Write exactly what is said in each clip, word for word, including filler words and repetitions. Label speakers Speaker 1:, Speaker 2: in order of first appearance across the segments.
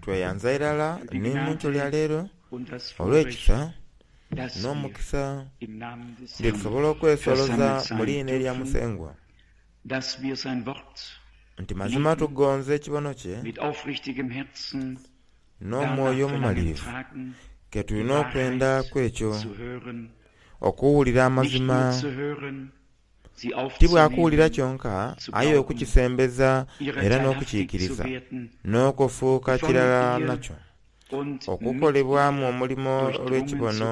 Speaker 1: Tweyanza irala ni mu nkyo lya leero olw'ekisa n'omukisa nti tusobola okwesoloza mu liina erya Musengwa, nti mazima tugonza ekibono kye n'omwoyo omumalirivu ke tulina okwenda kwekyo okuwulira amazima, ti bwakuwulira kyonka aye okukisembeza era n'okukiikiriza n'okufuuka kirala nakyo, okukolebwamu omulimo olw'ekibono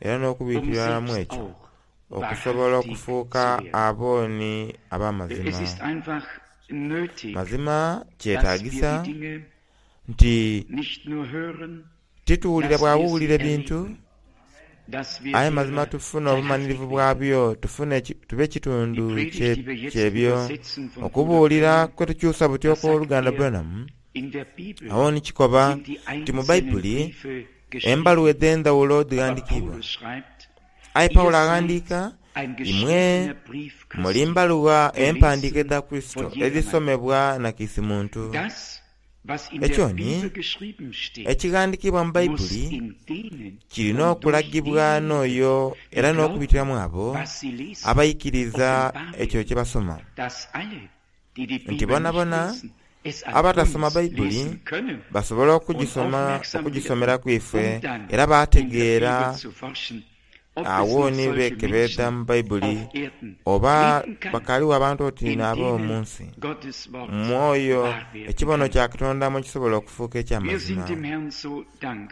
Speaker 1: era n'okubitiriramu ekyo okusobola okufuuka abooni ab'amazima. Mazima kyetagisa nti tituwulira bwabuwulira ebintu, aye mazima tufune obumanirivu bwabyo, tufune tube kitundu kyebyo. Okubuulira kwe tukyusa buti okw'oluganda Branham, awo ni kikoba nti mu Baibuli embaluwa edh'endhawulo dhighandikiibwa. Aye Pawulo aghandiika, imwe muli mbaluwa empandiike edha Kurisito edhisomebwa na kiisi muntu. Ekyo ni ekighandikiibwa mu Baibuli kirina okulagibwa n'oyo era n'okubitiramu abo abaikiriza ekyo kye basoma, nti bonabona abatasoma Baibuli basobola okugisoma okugisomeraku ife era baategeera agho ni beekebeedha mu Baibuli oba bakaaliwo abantu oti n'abo mu nsi mwoyo ekibono kya Katonda mwe kisobola okufuuka eky'amazima.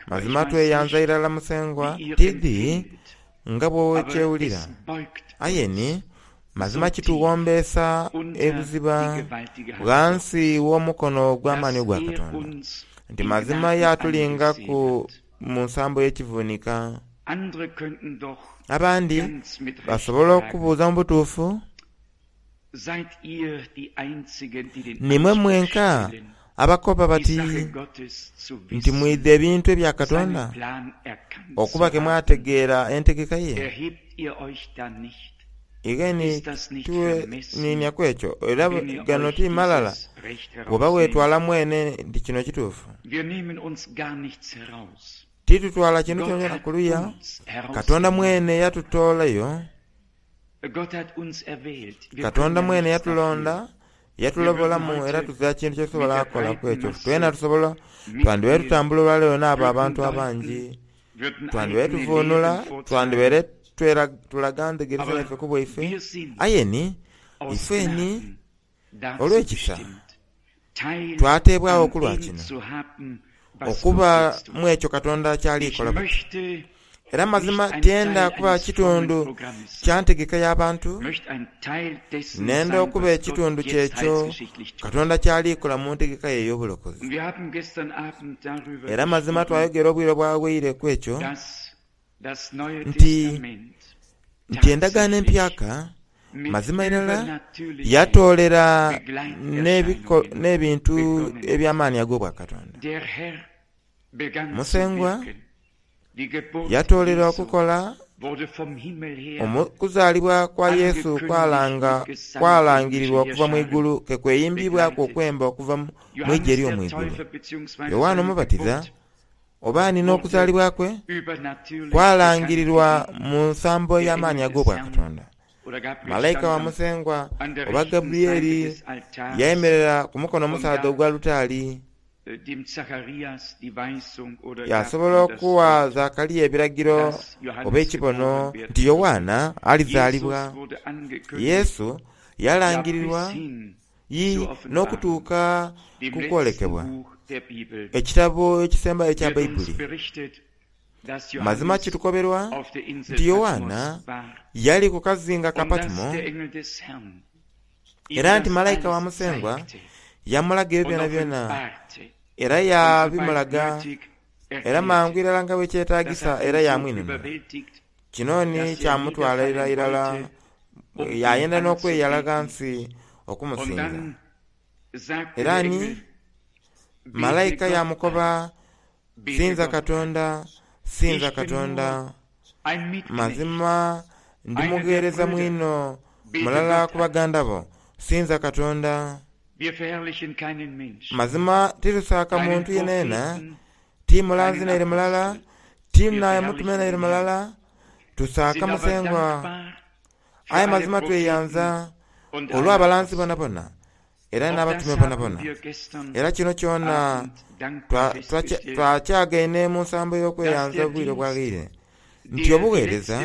Speaker 1: Mazima tweyanza irala Musengwa tidhi nga bw'okyewulira, aye ni mazima kitughombeesa ebuziba ghansi w'omukono ogw'amaani ogwa Katonda, nti mazima yatulingaku mu nsambo y'ekivunika. Abandi basobola okubuuza mu butuufu, nimwe mwenka abakoba bati nti mwidha ebintu ebya Katonda okuba ke mwategeera entegeka ye? Igheni tuwe ekyo era gano ti malala bw'oba weetwala mwene nti kino kituufu. Titutwala kintu kyonakyona kuluya, Katonda mwene yatutoolayo, Katonda mwene yatulonda, yatulobolamu era tuzira kintu kyetusobola kukola ku ekyo. Twena tusobola, twandibaire tutambula olwaleero n'abo abantu abangi, twandibaire tuvuunula, twandibaire tulaga ndhegeresa yaife ku bwaife, aye ni ife ni olw'ekisa twateebwagho ku lwa kino, okuba mu ekyo Katonda ky'ali kola buti. Era mazima tyenda kuba kitundu kya ntegeka y'abantu, nenda okuba ekitundu ky'ekyo Katonda ky'ali kola mu ntegeka ye ey'obulokozi. Era mazima twayogera obwire obwawaire ku ekyo nti nti endagaano empyaka mazima irala yatoolera n'ebintu eby'amaani ag'obwakatonda. Musengwa yatoolera okukola okuzaalibwa kwa Yesu kwalangirirwa okuva mu igulu ke kweyimbibwaku okwemba okuva mu igye ery'omu igulu. Yowaana Omubatiza oba ni n'okuzaalibwa kwe kwalangirirwa mu nsambo ey'amaani ag'obwakatonda. Malaika wa Musengwa oba Gabrieli yayemerera ku mukono omusaadha ogw'alutaari, yaasobola okuwa Zakaria ebiragiro oba ekibono nti Yowaana alizaalibwa. Yesu yalangirirwa yi n'okutuuka ku kwolekebwa, ekitabo ekisembayo ekya Baibuli. Mazima kitukoberwa nti Yowaana yali ku kazinga ka Patimo, era nti malaika wa Musengwa yamulaga ebyo byonabyona, era yaabimulaga era mangu irala nga bwekyetagisa era yaamwinunula. Kino ni kyamutwalira irala yayenda n'okweyala ghansi okumusinza. Era ni malaika yamukoba, sinza Katonda, sinza Katonda. Mazima ndi mugheereza mwino mulala ku baganda bo, sinza Katonda. Mazima titusaaka muntu yenayena, ti mulanzi naire mulala, ti naye mutume naire mulala, tusaaka Musengwa. Aye mazima tweyanza olw'abalanzi bonabona era n'abatume bonabona. Era kino kyona twakyagaine mu nsambo y'okweyanza obwire obwaghaire nti obuweereza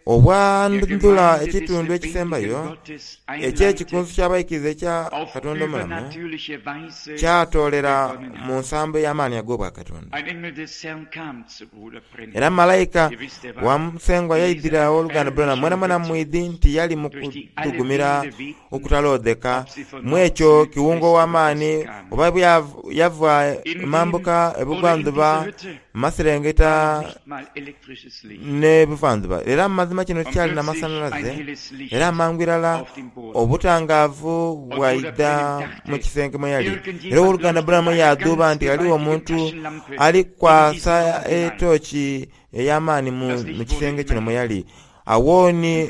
Speaker 1: obwandhula ekitundu ekisembayo eky'ekikunsu ky'abaikiriza ekya Katonda omulamu kyatoolera mu nsambo ey'amaani ag'obwakatonda. Era malayika wa Musengwa yaidhira ow'oluganda Branham mwena mwena mwidhi nti yali mu kudhugumira okutalodheka mu ekyo kiwungo w'amaani oba yava emambuka ebugwanjuba maserengeta n'ebuvandhuba. Era mu mazima kino kyali n'amasanhalaze era amangu irala obutangaavu bwaidha mu kisenge mwe yali. Era ow'oluganda Branham yadhuuba nti ghaligho omuntu ali kwasa etooki ey'amaani mu kisenge kino mwe yali. Awo ni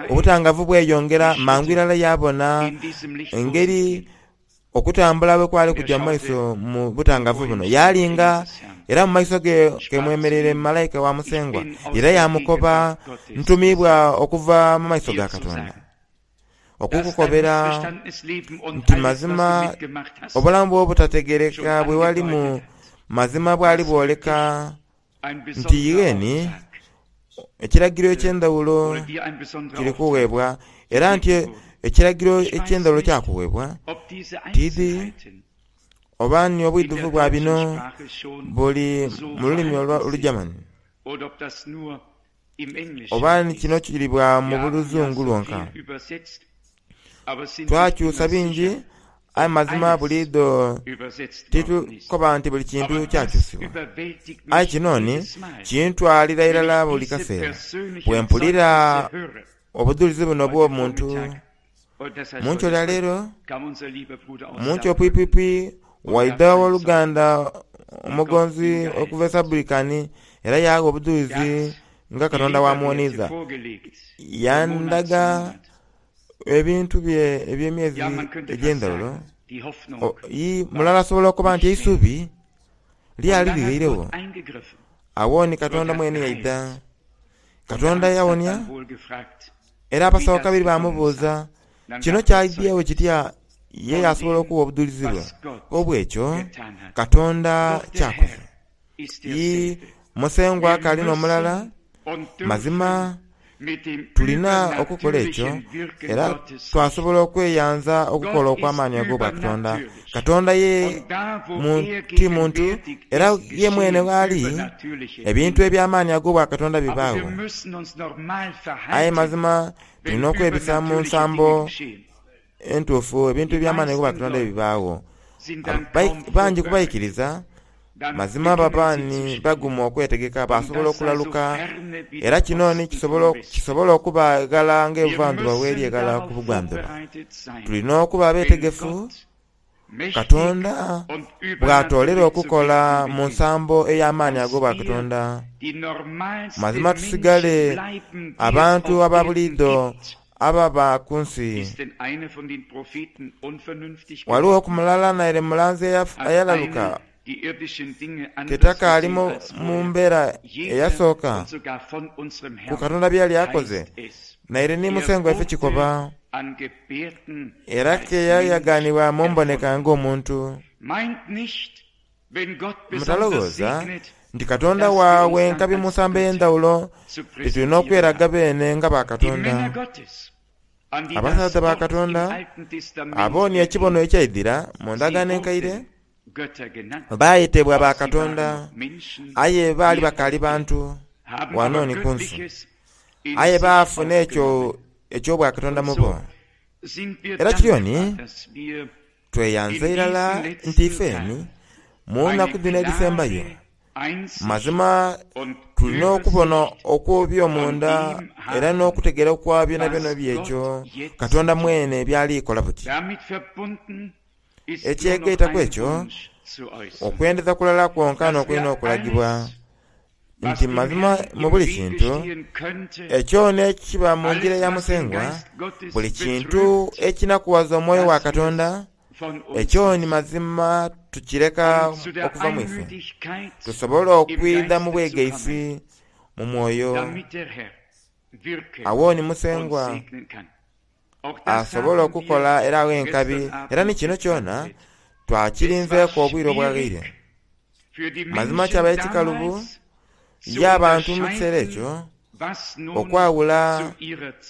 Speaker 1: obutangaavu bweyongera mangu irala yabona engeri okutambula bwe kwali kujja mu maiso mu butangaavu buno. Yalinga era mu maiso ge kemwemereire malayika wa Musengwa era yamukoba ntumibwa okuva mu maiso ga Katonda okukukobera nti mazima obulamu bwo obutategereka bwe walimu mazima bwali bwoleka nti igheni ekiragiro eky'endhawulo kiri kuweebwa era nti ekiragiro eky'endhawulo kyakuweebwa tidhi oba ni obwidhuvu bwa bino buli mu lulimi Olugermani oba ni kino kiribwa mu luzungu lwonka. Twakyusa bingi aye mazima buliidho titukoba nti buli kintu kyakyusibwa. Aye kino ni kintwalira irala buli kaseera bwe mpulira obudhulizi buno obw'omuntu. Munkyo lya leero, munkyo pwipwipwi waidha ow'oluganda omugonzi okuva e Sabulikani era yagha obudhulizi nga Katonda wamuwoniiza. Yandaga ebintu bye eby'emyezi egy'endhawulo. Mulala asobola okuba nti eisubi lyali lighairegho. Awo ni Katonda mwene yaidha. Katonda yawonia era abasawo kabiri bamubuuza kino kyaidhyewo kitya ye yasobola okuwa obudhulizi bwe obw'ekyo Katonda kyakoze. Ii Musengwa akaali n'omulala mazima tulina okukola ekyo era twasobola okweyanza okukola okw'amaani ag'obwakatonda. Katonda ye ti muntu era ye mwene ghali ebintu eby'amaani ag'obwakatonda bibaagho. Aye mazima tulina okwebisa mu nsambo entuufu ebintu eby'amaani ag'obwakatonda ebibaagho. Bangi kubaikiriza mazima baba ni bagumu okwetegeka basobola okulaluka era kino ni kisobola okuba eghala ng'ebuvandhuba bweri eghala ku bugwandhuba. Tulina okuba abeetegefu Katonda bw'atoolera okukola mu nsambo ey'amaani ag'obwakatonda. Mazima tusigale abantu aba buliidho ababa ku nsi. Ghaligho ku mulala naire mulanzi eyalaluka tetakaali mu mbeera eyasooka ku Katonda byali akoze naire ni Musengwa ife kikoba era ke yayaganibwa mu mboneka ng'omuntu. Mutalowooza nti Katonda waabwe enkabi mu nsambo ey'endhawulo titulina okweraga beene nga bakatonda. Abasaadha ba Katonda abo ni ekibono ekyaidhira mu ndagaano enkaire baayetebwa bakatonda aye baali bakaali bantu wano ni ku nsi. Aye baafuna ekyo eky'obwakatonda mu bo. Era kityo ni tweyanza irala nti ifeni mu nnaku dhino edhisembayo mazima tulina okubona okw'eby'omunda era n'okutegeera okwa byonabyona byekyo Katonda mwene byalikola buti. Ekyegaitaku ekyo okwendeza kulala kwonka n'okulina okulagibwa nti mazima mu buli kintu ekyo n'ekiba mu njira ya Musengwa, buli kintu ekinakuwaza omwoyo wa Katonda Ekyo ni mazima tukireka okuva mu ife, tusobole okwidha mu bwegaisi mu mwoyo. Awo ni Musengwa asobola okukola era agho enkabi, era ni kino kyona twakirinzeeku obwire obwaghaire. Mazima kyabaire kikalubu y'abantu mu kiseera ekyo okwawula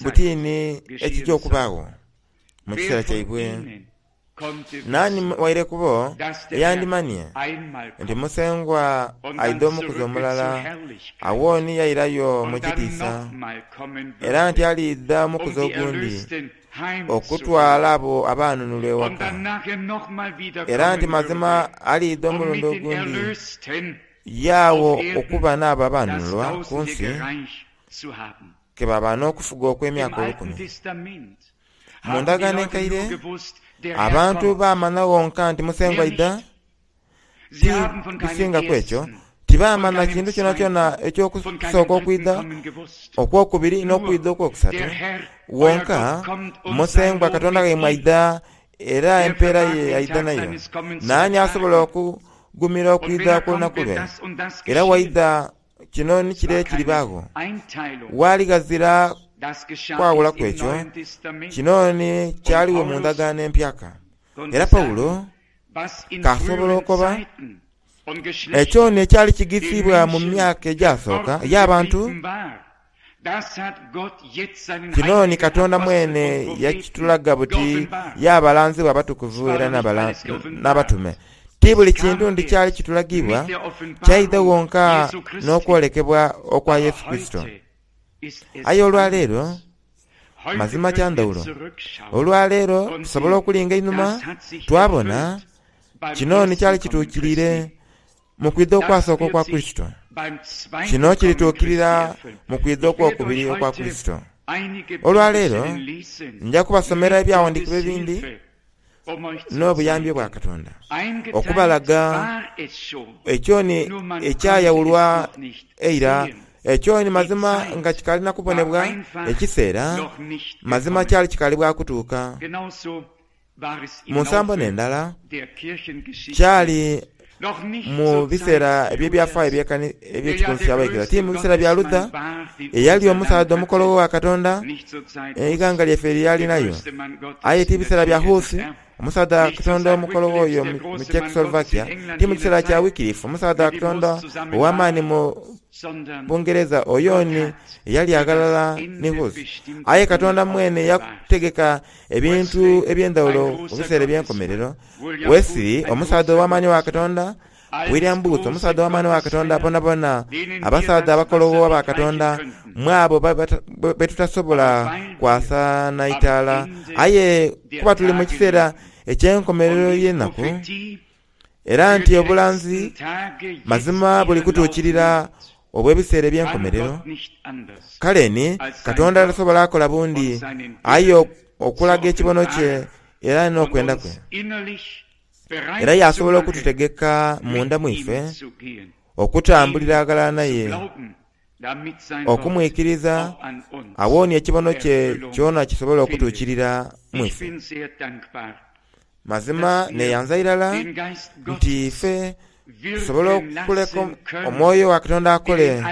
Speaker 1: butiini ekijja okubaagho mu kiseera kyaibwe. Nani waire kubo eyandimanie nti Musengwa aidha omukuzi omulala, awo ni yairayo mu kitiisa, era nti aliidha omukuzi ogundi okutwala abo abanunulwa ewaka, era nti mazima aliidha omulundi ogundi yaawo okuba n'abo abanunulwa ku nsi ke baba n'okufuga okw'emyaka olukumi. Mu ndagaano enkaire abantu baamanya wonka nti Musengwa aidha, ti bisingaku ekyo, tibaamanya kintu kyonakyona eky'okusooka okwidha okwokubiri n'okwidha okwokusatu. Wonka Musengwa Katonda waimwe aidha, era empeera ye aidha nayo. Naani asobola okugumira okwidha kw'olunaku lwe? Era waidha kino ni kire ekiribaagho. Waali ghazira kwawulaku ekyo, kino ni kyaliwo mu ndagaano empyaka. Era Pawulo kasobola okoba ekyo ni ekyali kigisiibwa mu myaka egyasooka ey'abantu, kino ni Katonda mwene yakitulaga buti y'abalanzi abatukuvu era n'abatume. Ti buli kintu ndi kyali kitulagibwa kyaidha wonka n'okwolekebwa okwa Yesu Kristo. Aye olwaleero mazima kya ndhawulo. Olwaleero tusobola okulinga einhuma twabona kino ni kyali kituukiriire mu kwidha okwasooka okwa Kristo. Kino kirituukirira mu kwidha okwokubiri okwa Kristo. Olwaleero nja kubasomera ebyawandiikibwa ebindi n'obuyambi bwa Katonda okubalaga ekyo ni ekyayawulwa eira, ekyo ni mazima nga kikalina kubonebwa ekiseera mazima kyali kikali bwa kutuuka. Mu nsambo n'endala kyali mu biseera eby'ebyafaayo eby'ekikunsu ky'abaikiriza, ti mu biseera bya Luther eyali omusaadha omukologho wa Katonda eighanga lyaife lyalinayo, aye ti biseera bya Huss omusaadha wa Katonda omukologho oyo mu Czechoslovakia, ti mu kiseera kya Wycliffe omusaadha wa Katonda ow'amaani mu Bungereza oyo ni eyali aghalala ni Huss. Aye Katonda mwene yategeka ebintu eby'endhawulo mu biseera eby'enkomerero. Wesley omusaadha ow'amaani wa Katonda, William Booth omusaadha ow'amaani wa Katonda, bonabona abasaadha abakologho aba Katonda mwabo betutasobola kwasa na itaala. Aye kuba tuli mu kiseera eky'enkomerero y'enaku, era nti obulanzi mazima buli kutuukirira obw'ebiseera eby'enkomerero. Kale ni Katonda tasobola akola bundi aye okulaga ekibono kye era n'okwenda kwe, era yasobola okututegeka munda mwife okutambulira aghalala naye, okumwikiriza awonie ekibono kye kyona kisobola okutuukirira mwife. Mazima neyanza irala nti ife tusobola okuleka omwoyo wa Katonda akole.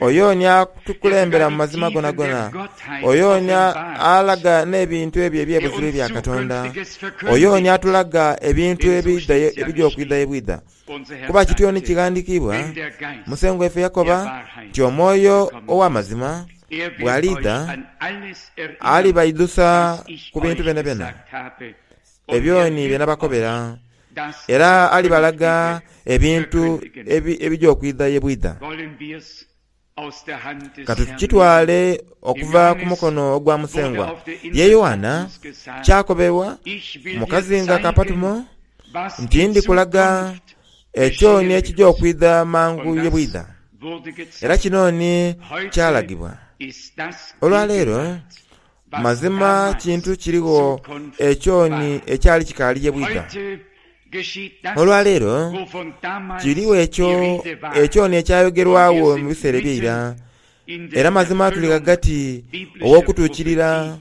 Speaker 1: Oyo ni atukulembera mu mazima gonagona, oyo ni alaga n'ebintu ebyo eby'ebuzibu ebya Katonda, oyo ni atulaga ebintu ebija okwidha ebwidha. Kuba kityo ni kighandiikibwa, Musengwa waife yakoba nti omwoyo ow'amazima bw'aliidha alibaidhusa ku bintu byonabyona ebyo ni bye nabakobera, era alibalaga ebintu ebija okwidha ye bwidha. Katukitwale okuva ku mukono ogwa Musengwa. Ye Yoanna kyakoberwa mu kazinga ka Patumo nti ndikulaga ekyo ni ekija okwidha mangu ye bwidha. Era kino ni kyalagibwa. Olwaleero mazima kintu kirigho ekyo ni ekyali kikaali ye bwidha. Olwaleero kirigho ekyo ekyo ni ekyayogerwagho mu biseera eby'eira, era mazima tuli ghagati ow'okutuukirira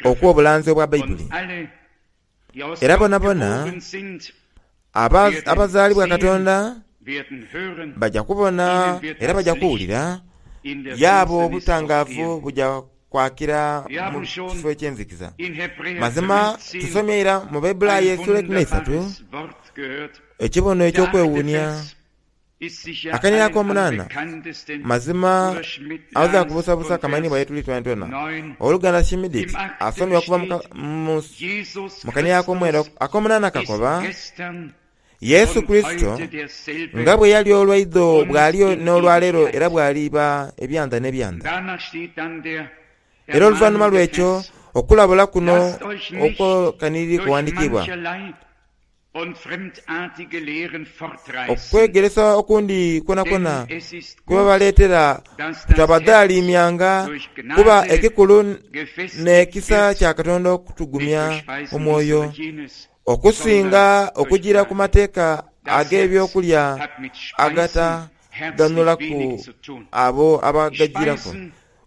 Speaker 1: okw'obulanzi obwa Baibuli. Era bonabona abazaalibwa Katonda bajja kubona era bajja kuwulira, yaabo obutangaavu bujja kwakira mu kifo eky'enzikiza. Mazima tusomye ira mu Baibulayo esula eikumi n'eisatu ekibono eky'okwewuunia. Akanira ak'omunaana mazima aweza kubusabusa kamanyi bwa tuli twentwena. Oluganda Schmidt asomye okuva mu kanira ak'omwenda ak'omunaana kakoba Yesu Kristo nga bwe yali olwaidho bw'aliyo n'olwaleero era bw'aliba ebyanda n'ebyanda. Era oluvannyuma lw'ekyo okulabula kuno okwokaniriri kuwandiikibwa okwegeresa okundi kwonakona kwebabaleetera kutabadaalimyanga kuba ekikulu n'ekisa kya Katonda okutugumya omwoyo okusinga okugira ku mateeka ag'ebyokulya agataganulaku abo abagagiraku.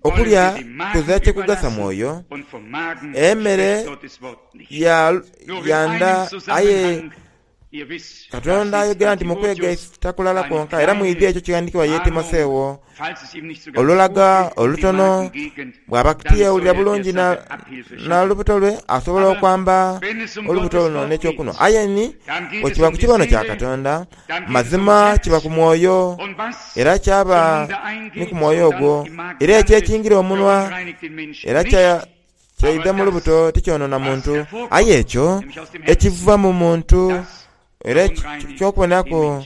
Speaker 1: Okulya kuzira kyekugasa mwoyo, emmere yanda aye Katonda ayogera nti mukwegaita kulala kwonka era mwidhi ekyo kighandiikibwa ye Timoseewo olulaga olutono bw'aba tiyewulira bulungi na lubuto lwe asobola okwamba olubuto luno n'ekyokunhwa. Aye ni bwe kiba ku kibono kya Katonda mazima kiba ku mwoyo era kyaba ni ku mwoyo ogwo era ekyo ekingira omunwa era kyaidha mu lubuto tikyonona muntu. Aye ekyo ekiva mu muntu era eky'okuboneraku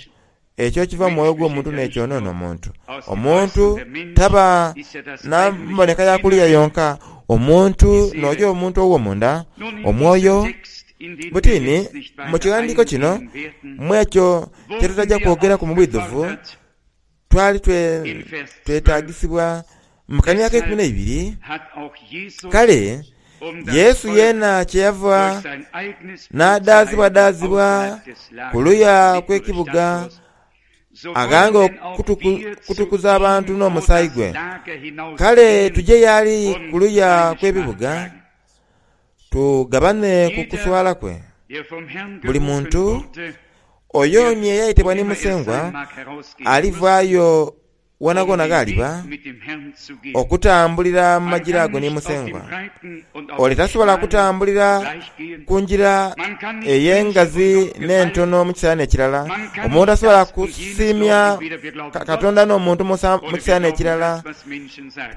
Speaker 1: ekyo ekiva mu mwoyo gw'omuntu n'ekyonona omuntu. Omuntu taba na mboneka ya kuliya yonka, omuntu n'oyo omuntu ow'omunda, omwoyo. Butini mu kighandiiko kino mu ekyo kye tutajja kwogeraku mu bwidhuvu twali twetagisibwa mu kanira ak'eikumi n'eibiri. Kale Yesu yeena kyeyava n'adaazibwadaazibwa ku luya kw'ekibuga aghange okutukuza abantu n'omusaayi gwe. Kale tuje y'ali ku luya kw'ebibuga tugabane ku kuswala kwe. Buli muntu oyo ni eyayitibwa ni Musengwa alivaayo wonagona gh'aliba okutambulira mu magira ago ni Musengwa. Ole tasobola kutambulira ku ngira ey'engazi n'entono mu kiseera n'ekirala. Omuntu tasobola kusiimya Katonda n'omuntu mu kiseera n'ekirala.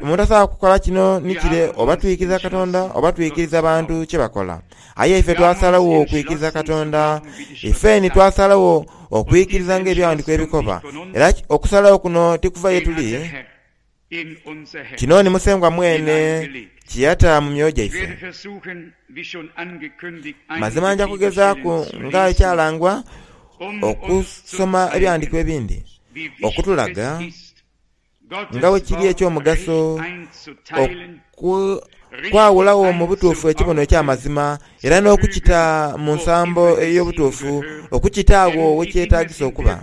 Speaker 1: Omuntu tasobola kukola kino ni kire, oba twikiriza Katonda oba twikiriza bantu kye bakola. Aye ife twasalagho okwikiriza Katonda, ife ni twasalagho okwikiriza ng'ebyawandiikibwa ebikoba. Era okusalagho kuno tikuva ye tuli, kino ni Musengwa mwene kye yata mu myoyo gyaife. Mazima nja kugezaaku nga ekyalangwa okusoma ebyawandiikibwa ebindi okutulaga nga bwe kiri eky'omugaso okwawulagho mu butuufu ekibono eky'amazima era n'okukita mu nsambo ey'obutuufu, okukita agho wekyetagisa okuba.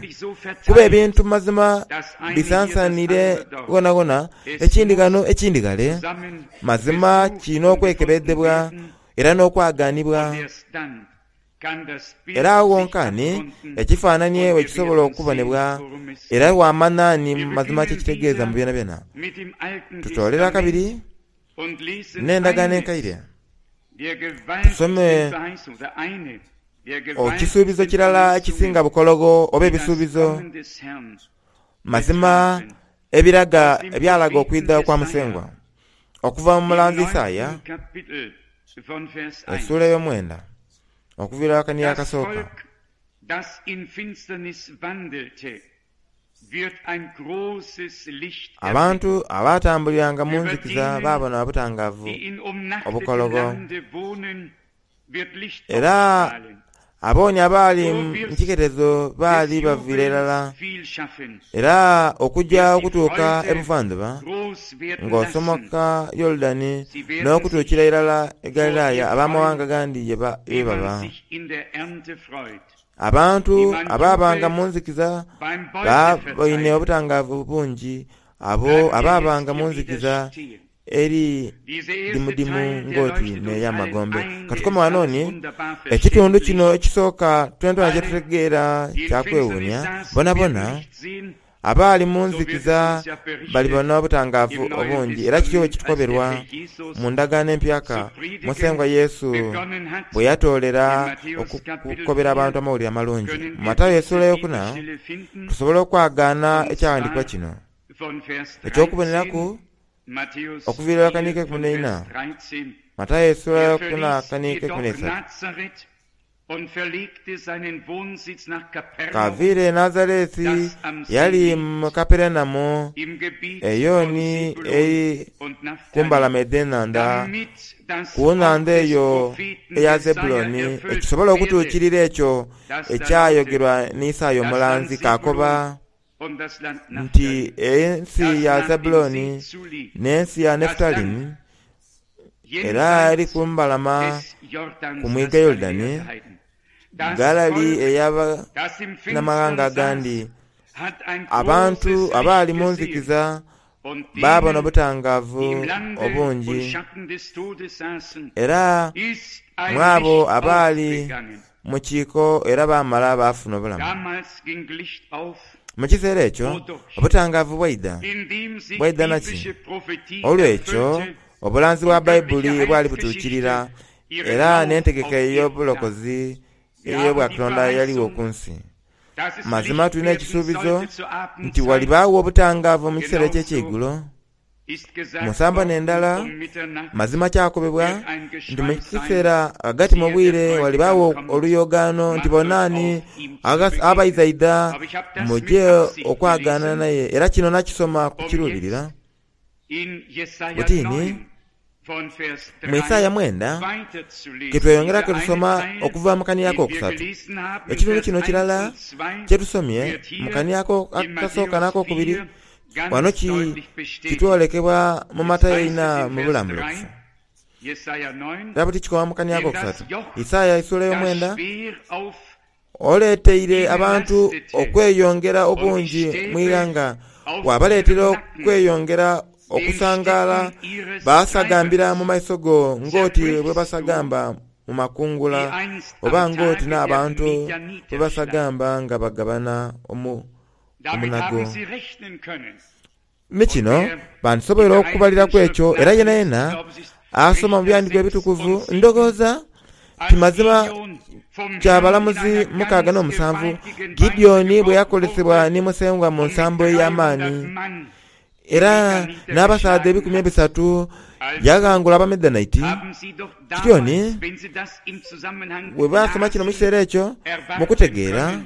Speaker 1: Kuba ebintu mazima bisansanire ghonhaghonha, ekindi ghano ekindi ghale. Mazima kirina okwekebedhebwa era n'okwaganibwa. Era agho ghonkani ekifaananie wekisobola okubonebwa era wamanha ni mazima kyekitegeeza mu byonabyona. Tutoolera kabiri n'endagaano enkaire tusome ekisuubizo kirala ekisinga bukologho oba ebisuubizo mazima ebiraga ebyalaga okwidha kwa Musengwa okuva mu mulanzi Isaaya essuula ey'omwenda okuviira akanira akasooka. Abantu abatambuliranga mu nzikiza baabona obutangaavu obukologho, era abooni abaali mu kiketezo baali baviira irala. Era okujja okutuuka e buvandhuba ng'osomoka Yorudani n'okutuukira irala e Galilaaya ab'amawanga gandi ye baba. Abantu abaabanga mu nzikiza baboine obutangaavu bungi, abo abaabanga mu nzikiza eri dimudimu ng'oti n'ey'amagombe. Katukome wano ni ekitundu kino ekisooka twentwena kyetutegeera kyakwewuunia bonabona abaali mu nzikiza balibona obutangaavu obungi. Era kityo bwe kitukoberwa mu ndagaano empyaka Musengwa Yesu bwe yatoolera okukobera abantu amawulire amalungi. Mu Matayo essuula eyokuna tusobola okwagaana ekyawandiikibwa kino eky'okuboneraku okuviira akaniiko ekumi n'eina. Matayo essuula eyokuna akaniiko ekumi n'eisatu. Kaviire e Nazareti yali mu Kaperenamu eyo ni eri ku mbalama edh'enhandha, ku nhandha eyo eya Zebuloni, ekisobola okutuukirira ekyo ekyayogerwa ni Isaaya omulanzi k'akoba nti ensi ya Zebuloni n'ensi ya Nefutalimu era eri ku mbalama ku mwiga Yorudani, ghalali ey'abanamawanga agandi, abantu abaali mu nzikiza baabona obutangaavu obungi. Era mu abo abaali mu kiiko era baamala baafuna obulamu. Mu kiseera ekyo obutangaavu bwaidha. Bwaidha naki? Olw'ekyo obulanzi bwa Baibuli bwali butuukirira era n'entegeka ey'obulokozi ey'obwakatonda yaliwo ku nsi. Mazima tulina ekisuubizo nti walibaawo obutangaavu mu kiseera eky'ekyeigulo. Mu nsambo n'endala, mazima kyakobebwa nti mu kiseera ghagati mu bwire walibaawo oluyogaano nti bonaani abaizaidha muje okwagaana naye. Era kino nakisoma ku kiruubirira. Butini mu Isaaya mwenda ketweyongera ketusoma okuva mu kaniya akokusatu. Ekitundu kino kirala kyetusomye mu kaniya akasooka n'akokubiri wano kitwolekebwa mu Matayo eina mu bulambulukufu. Era buti kikoma mu kaniya akokusatu. Isaaya essuula ey'omwenda oleeteire abantu okweyongera obungi mu ighanga, wabaleetera okweyongera okusangaala baasagambira mu maiso go ng'oti bwe basagamba mu makungula, oba ng'oti n'abantu bwe basagamba nga bagabana omunago. Ni kino bandisoboire okubaliraku ekyo, era yenayena asoma mu byandiiko ebitukuvu ndowooza ti mazima kya balamuzi mukaaga n'omusanvu Gideoni bwe yakolesebwa ni Musengwa mu nsambo ey'amaani, era n'abasaadha ebikumi ebisatu yaghangula Abamidianite. Kityo ni bwe baasoma kino mu kiseera ekyo mu kutegeera,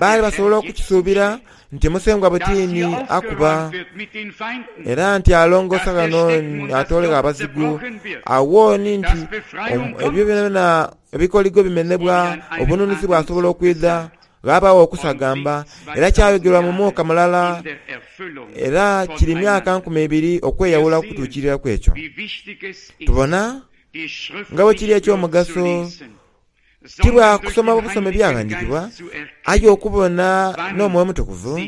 Speaker 1: baali basobola okukisuubira nti Musengwa butiini akuba, era nti alongoosa ghano atoolegho abazigu. Agho ni nti ebyo byonabyona ebikoligo bimenebwa, obununuzi bwasobola okwidha, ghabagho okusagamba. Era kyayogerwa mu mwaka mulala, era kiri myaka nkumi ibiri okweyawula okutuukiriraku ekyo. Tubona nga bwe kiri eky'omugaso ti bwa kusoma busome byaghandiikibwa, aye okubona n'Omwoyo Omutukuvu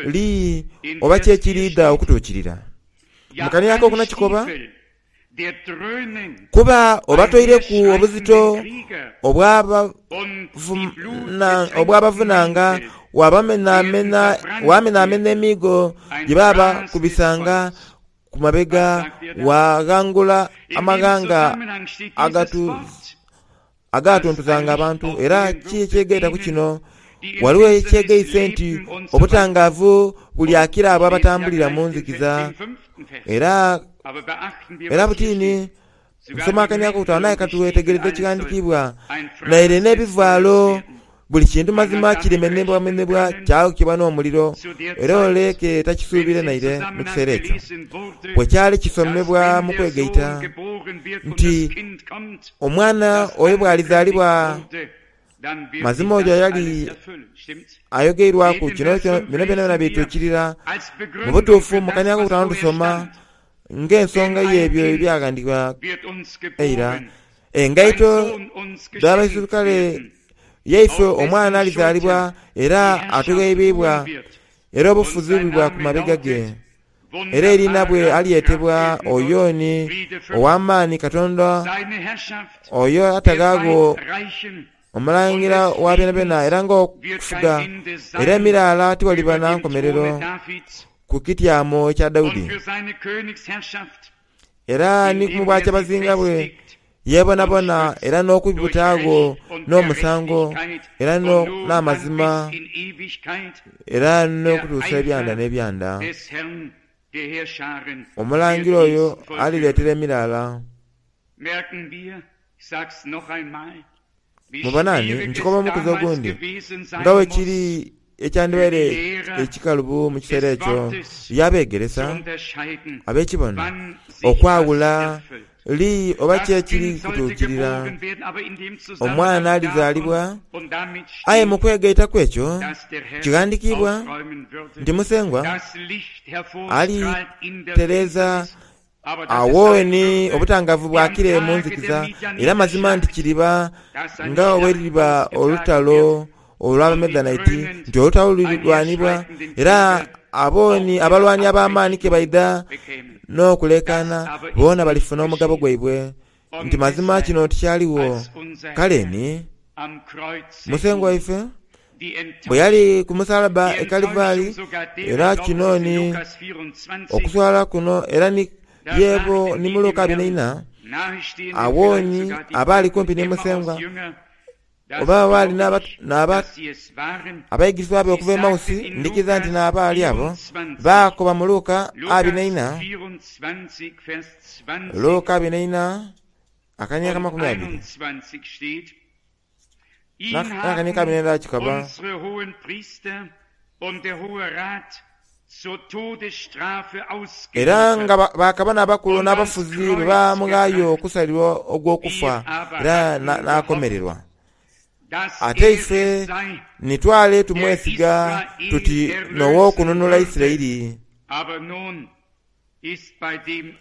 Speaker 1: li oba ki ekiriidha okutuukirira. Mu kaniya ak'okuna kikoba, kuba obatoireku obuzito obwabavunanga, wamenamena emiigo gye babakubisanga ku mabega, waghangula amaghanga agatuntuzanga abantu. Era ki ekyegaita ku kino? Waliwo ekyegaise nti obutangaavu bulyakira abo abatambulira mu nzikiza. Era era butiini nsoma akaniya akokutaanu, aye katwetegereze ekighandiikibwa. Naire n'ebivaalo buli kintu mazima kirimenebwamenebwa kyayokebwa n'omuliro, era ole ke takisuubire naire mu kiseera ekyo. Bwe kyali kisomebwa mu kwegaita nti omwana oyo bw'alizaalibwa, mazima oyo yali ayogeirwaku kino bino byonabyona bituukirira. Mu butuufu mu kaniya akokutaanu tusoma ng'ensonga y'ebyo ebyaghandiikibwa eira. Engaito dh'abaisirukale yaife omwana alizaalibwa era atugheibwa, era obufuzi bubwa ku mabega ge. Era eriina bwe alyetebwa oyo ni ow'amaani Katonda oyo atagaagho omulangira wa byonabyona era ng'okufuga era emiraala tiwaliba na nkomerero ku kityamo ekya Daudi. Era ni mu bwakyabazinga bwe yeebonabona era n'okubutaagho n'omusango era n'amazima era n'okutuusa ebyanda n'ebyanda. Omulangira oyo alireetera emiraala. Mubona ni nkikoba omukuzi ogundi nga bwe kiri ekyandibaire ekikalubu mu kiseera ekyo yabeegeresa ab'ekibono okwawula li oba ki ekiri kutuukirira. Omwana alizaalibwa, aye mu kwegaitaku ekyo kighandikiibwa nti Musengwa alitereeza awo ni obutangavu bwakire mu nzikiza, era mazima nti kiriba nga bwe liriba olutalo olw'Abamedanaiti, nti olutalo lulirwanibwa, era abo ni abalwani ab'amaani ke baidha n'okulekaana, boona balifuna omugabo gwaibwe. Nti mazima kino tikyaligho. Kale ni Musengwa waife bwe yali ku musalaba e Kalivari, era kino ni okuswala kuno, era ni yebo ni mu Luka abiri na ina, awo ni abaali kumpi ni Musengwa oba baali n'abayigirizwa be okuva e Emausi, ndhikiza nti n'abaali abo baakoba mu Luka abiri na ina, Luka abiri na ina akania amakumi abiri n'akania kabiri n'endala kikaba. Era nga bakabona abakulu n'abafuzi bwe bamughaayo okusalirwa ogw'okufa era n'akomererwa. Ate ife nitwale tumwesiga tuti n'ow'okununula Isiraeli.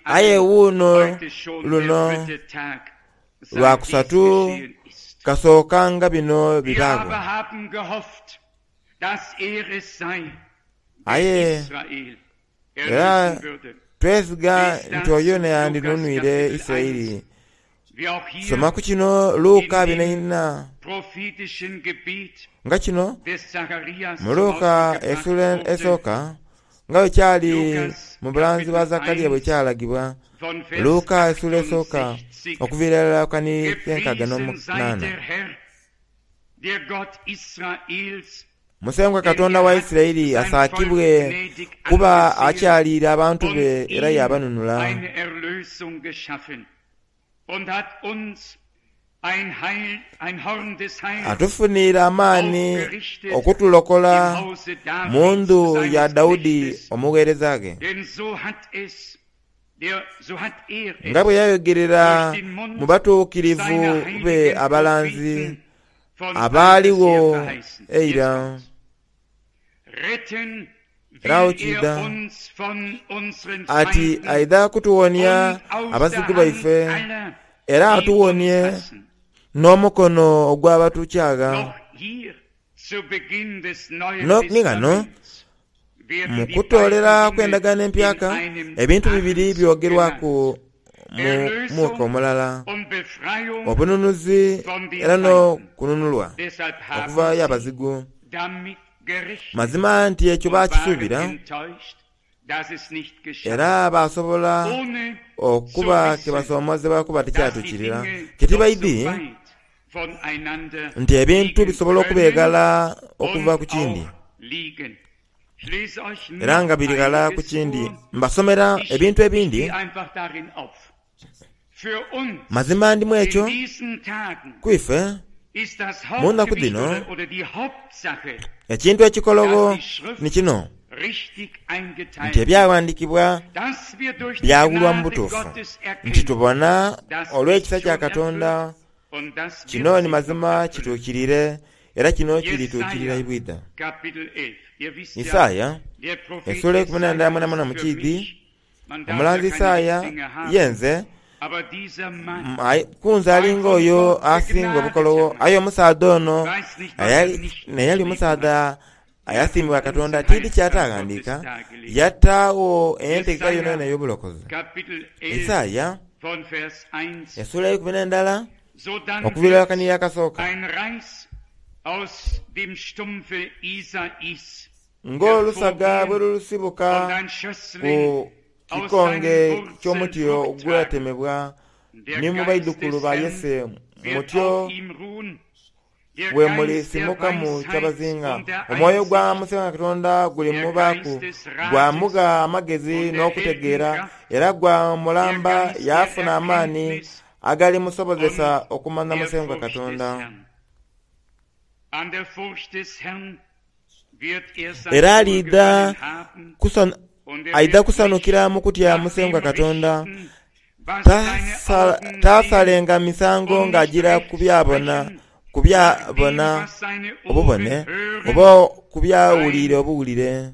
Speaker 1: Aye wuuno luno lwa kusatu kasookanga bino bibaagho. Aye era twesiga nti oyo n'eyandinunwire Isiraeli. Soma ku kino Luka abiri na ina. Nga kino mu Luka esula esooka nga bwe kyali mu bulanzi bwa Zakaria bwe kyalagibwa. Luka esula esooka okuviira irala ku kani k'enkaaga n'omunaana. Musengwa Katonda wa Isiraeli asaakibwe kuba akyaliire abantu be era yabanunula. Atufuniire amaani okutulokola mu ndhu ya Daudi omugheereza ghe, nga bwe yayogerera mu batuukirivu be abalanzi abaaligho eira. Era agho kiidha ati aidha kutuwonia abazigu baife, era atuwonie n'omukono ogw'abatukyagha. Ni ghano mu kutoolera kw'endagaano empyaka, ebintu bibiri byogerwaku mu mwaka omulala: obununuzi era n'okununulwa okuva y'abazigu. Mazima nti ekyo baakisuubira, era baasobola okuba ke basoomozebwa kuba tikyatuukirira. Kitibaidhi nti ebintu bisobola okuba eghala okuva ku kindi, era nga biri ghala ku kindi. Mbasomera ebintu ebindi. Mazima ndimu ekyo ku ife mu nnaku dhino ekintu ekikologho ni kino, nti ebyaghandiikibwa byawulwa mu butuufu, nti tubona olw'ekisa kya Katonda kino ni mazima kituukirire, era kino kirituukirira ibwidha. Isaaya esula eikumi n'endala mwenamwena mu kiidhi, omulanzi Isaaya yenze kunze alinga oyo asinga obukologho, aye omusaadha ono neyali omusaadha Ayasiimibwa Katonda tiidi kyataghandiika yataagho entegeka yonayona ey'obulokozi. Isaaya essuula eikumi n'endala okuviira akaniya akasooka. Ng'olusaga bwe lusibuka ku kikonge ky'omuti ogwatemebwa, ni mu baidhukulu ba Yese mutyo bwe mulisimukamu kyabazinga. Omwoyo gwa Musengwa Katonda gulimubaaku, gwamugha amagezi n'okutegeera, era gwamulamba yaafuna amaani agalimusobozesa okumanha Musengwa Katonda. Era aliidha aidha kusanhukira mu kutya Musengwa Katonda, taasalenga misango ng'ajiira ku byabona ku byabona obubone oba ku byawulire obuwulire.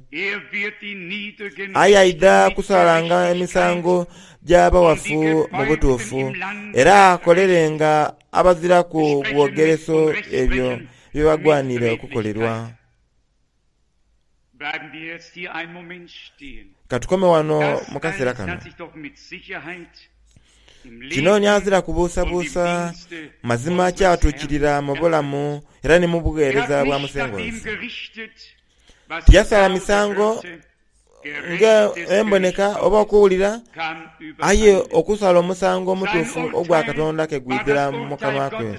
Speaker 1: Aye aidha kusalanga emisango gy'abawafu mu butuufu, era akolerenga abaziraku bwogereso ebyo ebibagwaniire okukolerwa. Ka tukome wano mu kaseera kano. Kino ni azira kubuusabuusa mazima kyatuukirira mu bulamu era ni mu bugheereza bwa Musengwa waife. Tiyasala misango ng'emboneka oba okuwulira, aye okusala omusango omutuufu ogwa Katonda ke gwidhira mu kanwa ke.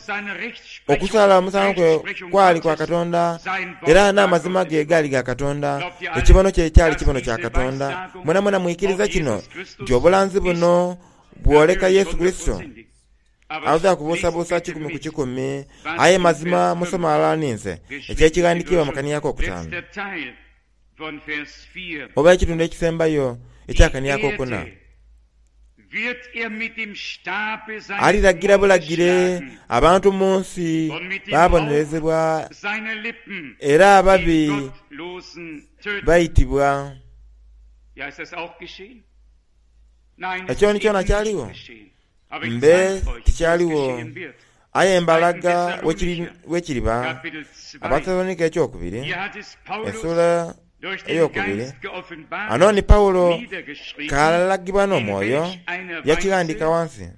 Speaker 1: Okusala omusango kwe kwali kwa Katonda, era n'amazima ge gaali ga Katonda. Ekibono kye kyali kibono kya Katonda. Mwenamwena mwikiriza kino nti obulanzi buno bwoleka Yesu Kurisito? Aweza kubuusabuusa kikumi ku kikumi, aye mazima musome ghalala ninze eky'ekighandikiibwa mu kaniya akokutaanu oba ekitundu ekisembayo eky'akaniya akokuna. Aliragira bulagire abantu mu nsi baabonerezebwa, era ababi baitibwa. Ekyo ni kyona kyaligho? Mbe tikyaligho, aye mbalaga bwekiriba. Abathesalonika ekyokubiri essuula eyokubiri, ghano ni Paulo k'alagibwa n'omwoyo yakighandika ghansi.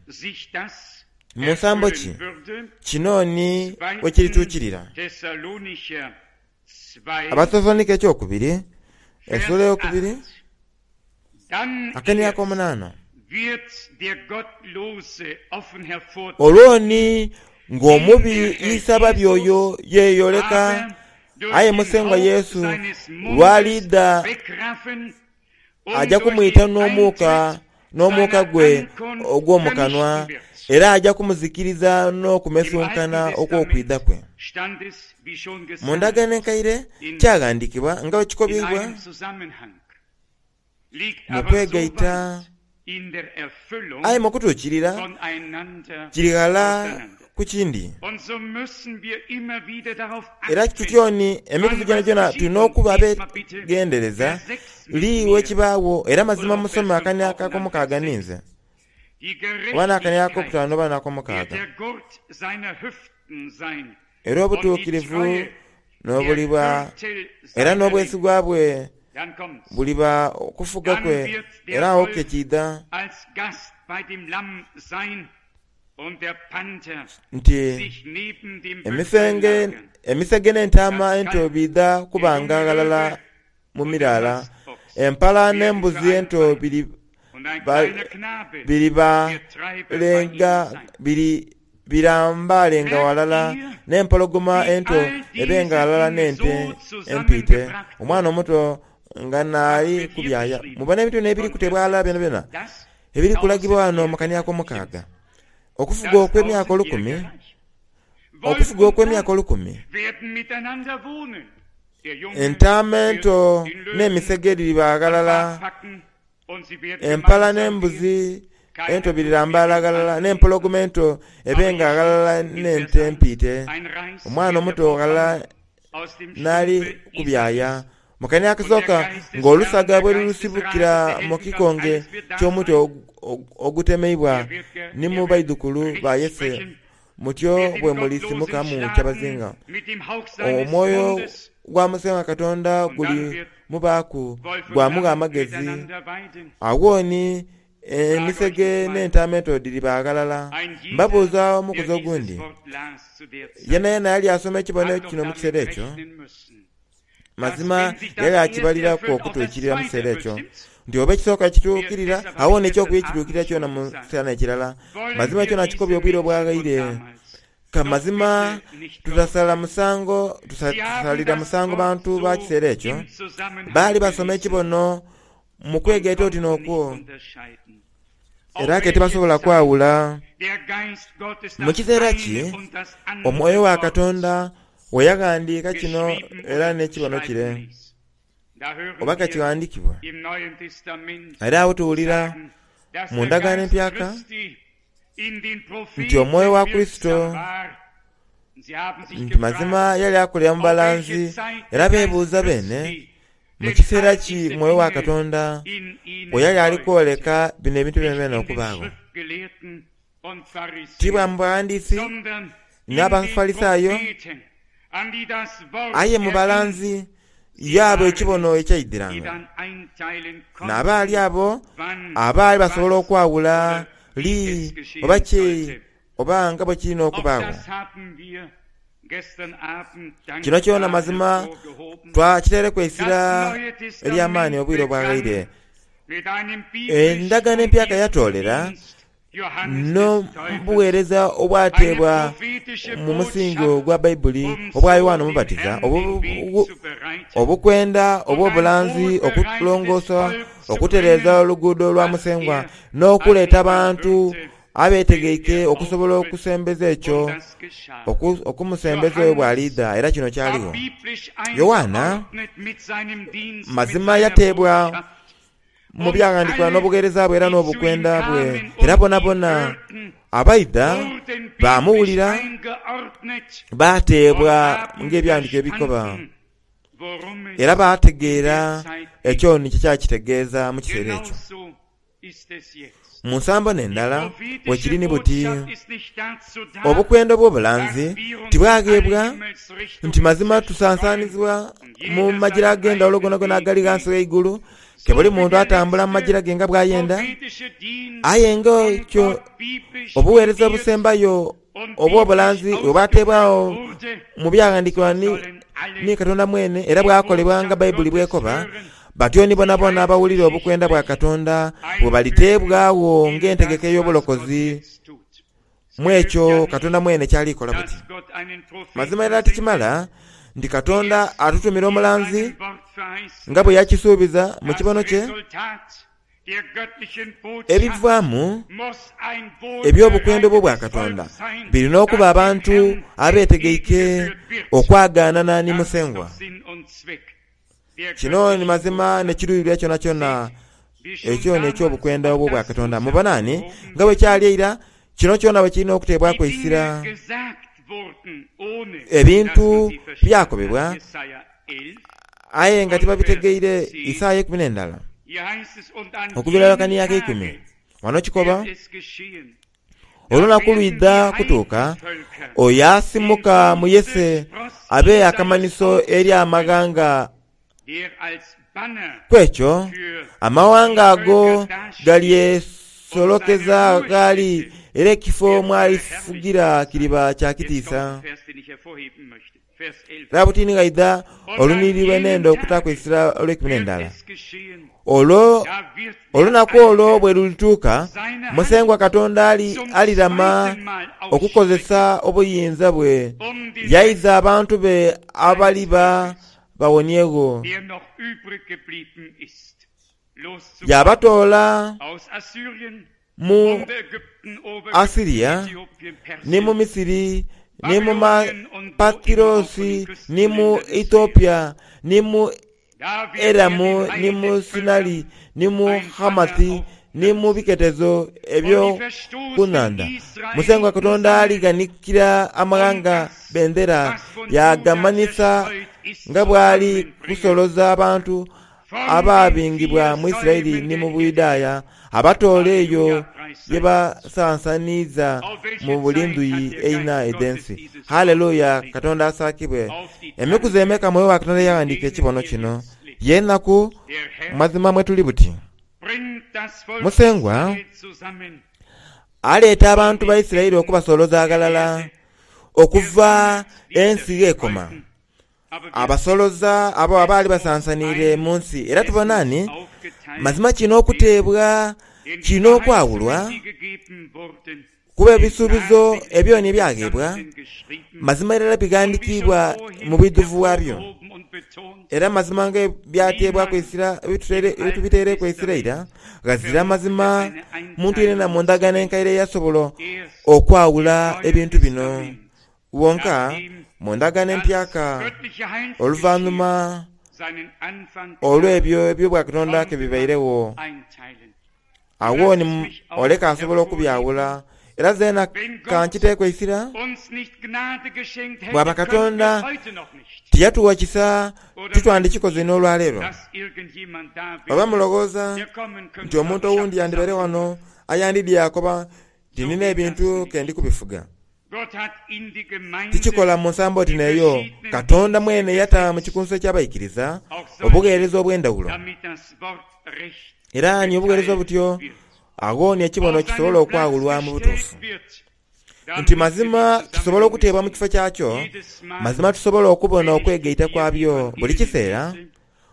Speaker 1: Mu nsambo ki kino ni bwekirituukirira? Abathesalonika ekyokubiri essuula eyokubiri akaniya ak'omunaana. Olwo ni ng'omubi Isababi oyo yeeyoleka, aye Musengwa Yesu lw'aliidha aja kumwita n'omuuka n'omuuka gwe ogw'omu kanwa, era aja kumuzikiriza n'okumesunkana okw'okwidha kwe. Mu ndagaano enkaire kyaghandiikibwa nga bwe kikobyeibwa mu kwegaita, aye mu kutuukirira kiri ghala ku kindi. Era tutyo ni emikuzi gyonagyona tulina okuba abeegendereza li wekibaagho, era mazima musome akania ak'omukaaga ninze, oba n'akania ak'okutaanu oba n'akomukaaga. Era obutuukirivu n'obuliba, era n'obwesigwa bwe buliba okufuga kwe, era agho ke kiidha nti emisege n'entaama ento biidha kubanga ghalala mu miraala, empala n'embuzi ento birambalenga ghalala, n'empologoma ento ebenga ghalala n'ente empiite, omwana omuto nga naali kubyaya. Mubona ebintu bino ebiri kutebwa ghalala byonabyona ebiri kulagibwa ghano mu kania ak'omukaaga. Okufuga okw'emyaka olukumi, okufuga okw'emyaka olukumi, entaama ento n'emisege dhiriba ghalala, empala n'embuzi ento birirambaala ghalala, n'empologoma ento ebenga ghalala n'ente empiite, omwana omuto ghalala n'ali kubyaya. Mu kania akasooka ng'olusaga bwe lulusibukira mu kikonge ky'omuti ogutemeibwa, ni mu baidhukulu ba Yese mutyo bwe mulisimukamu kyabazinga. Omwoyo gwa Musengwa Katonda guli mubaaku gwamugha amagezi. Agho ni emisege n'entaama ento dhiriba ghalala. Mbabuuza omukuzi ogundi, yenayena yali asoma ekibono kino mu kiseera ekyo? Mazima yali akibaliraku okutuukirira mu kiseera ekyo, nti oba ekisooka kituukirira, agho n'ekyokubiri kituukirira kyona mu kiseera n'ekirala. Mazima ekyo nakikobye obwire obwaghaire. Ka mazima tutasala musango, tusalira musango bantu ba kiseera ekyo. Baali basoma ekibono mu kwegaita oti n'okwo, era ke tibasobola kwawula. Mu kiseera ki Omwoyo wa Katonda we yaghandiika kino era n'ekibono kire, oba ka kighandiikibwa? Era agho tuwulira mu Ndagaano Empyaka nti Omwoyo wa Kurisito nti mazima yali akolera mu balanzi, era beebuuza beene mu kiseera ki Mwoyo wa Katonda bwe yali ali kwoleka bino ebintu byonabyona okubaagho. Ti bwa mu baghandiisi n'Abafalisaayo, aye mu balanzi yaaba ekibono ekyaidhiranga. N'abaali abo abaali basobola okwawula li oba ki oba nga bwe kirina okubaagho. Kino kyona mazima twakiteereku eisira ery'amaani obwire obwaghaire. Endagaano Empyaka yatoolera n'obuweereza obwateebwa mu musingi ogwa Baibuli obwa Yoanna Omubatiza, obukwenda obw'obulanzi, okulongoosa, okutereeza oluguudo lwa Musengwa, n'okuleeta abantu abeetegeike okusobola okusembeza ekyo, okumusembeza oyo bw'aliidha. Era kino kyaligho. Yoanna mazima yateebwa mu byaghandiikibwa n'obugheereza bwe era n'obukwenda bwe, era bonabona abaidha baamuwulira baateebwa ng'ebyaghandiikibwa ebikoba, era baategeera ekyo ni kye kyali kitegeeza mu kiseera ekyo. Mu nsambo n'endala bwe kiri ni buti, obukwenda obw'obulanzi tibwagheebwa nti mazima tusansaanizibwa mu magira ag'endhawulo gonagona agali ghansi gh'eigulu, ke buli muntu atambula mu magira ge nga bw'ayenda. Aye nga ekyo obugheereza obusembayo obw'obulanzi bwe bwateebwagho mu byaghandiikibwa ni Katonda mwene era bwakolebwa nga Baibuli bw'ekoba, batyo ni bonabona abawulira obukwenda bwa Katonda bwe baliteebwagho ng'entegeka ey'obulokozi mu ekyo Katonda mwene ky'ali kola buti. Mazima irala tikimala nti Katonda atutumira omulanzi nga bwe yakisuubiza mu kibono kye, ebivaamu eby'obukwenda obw'Obwakatonda biri n'okuba abantu abeetegeike okwagaanana ni Musengwa. Kino ni mazima n'ekiruubirirwa kyonakyona ekyo n'eky'obukwenda obw'Obwakatonda. Mubona ni nga bwe kyali eira, kino kyona bwe kirina okuteebwaku eisira. Ebintu byakobebwa aye nga tibabitegeire. Isaaya eikumi n'endala okuviira lwakani y'akeikumi. Wano kikoba, Olunaku lwidha kutuuka oyo asimuka mu Yese abe akamanhiso eri amaghanga. Ku ekyo amawanga ago galyesolokeza gh'ali, era ekifo mw'alifugira kiriba kya kitiisa. Era buti ni ghaidha olunhiriri lwe nenda okutaaku eisira olweikumi n'endala. Olwo olunaku olwo bwe lulituuka, Musengwa Katonda alirama okukozesa obuyinza bwe, yaiza abantu be abaliba bawoniegho, yaabatoola mu Assiria, ni mu Misiri, ni mu Pathirosi, ni mu Ethiopia, ni mu Elamu, ni mu Sinari, ni mu Hamathi, ni mu biketezo eby'oku nhandha. Musengwa Katonda alighanikira amaghanga bendera, yaagamanhisa nga bw'ali kusoloza abantu abaabingibwa mu Isiraeli ni mu Buyudaaya, abatoole eyo ye basansaniiza mu buli ndhuyi eina edh'ensi. Haleluya! Katonda asaakibwe. Emikuzi emeka Mwoyo wa Katonda eyaghandiika ekibono kino? Y'enaku mazima mwe tuli buti. Musengwa aleeta abantu ba Isiraeli okubasoloza aghalala okuva ensi gh'ekoma. Abasoloza abo abaali basansaniire mu nsi. Era tubona ni mazima kino okuteebwa, kino okwawulwa, kuba ebisuubizo ebyoni ebyagheebwa mazima irala bighandikiibwa mu bwidhuvu bwabyo. Era mazima nga byateebwaku eisira, tubiteireku eisira eira, ghazira mazima muntu yenayena mu ndagaano enkaire eyasobola okwawula ebintu bino. Wonka mu ndagaano empyaka oluvanhuma olw'ebyo eby'Obwakatonda ke bibairegho, agho ni oleka asobola okubyawula. Era zeena ka nkiteeku eisira, bw'aba Katonda tiyatuwa kisa titwandikikoze n'olwaleero. Oba mulowooza nti omuntu owundi yandibaire ghano ayandidhye yaakoba nti nina ebintu ke ndi kubifuga? Tikikola mu nsambo oti n'eyo. Katonda mwene yata mu kikunsu eky'abaikiriza obugheereza obw'endhawulo. Era ni obugheereza obutyo, agho ni ekibono kisobola okwawulwa mu butuufu. Nti mazima kisobola okuteebwa mu kifo kyakyo, mazima tusobola okubona okwegaita kwabyo buli kiseera.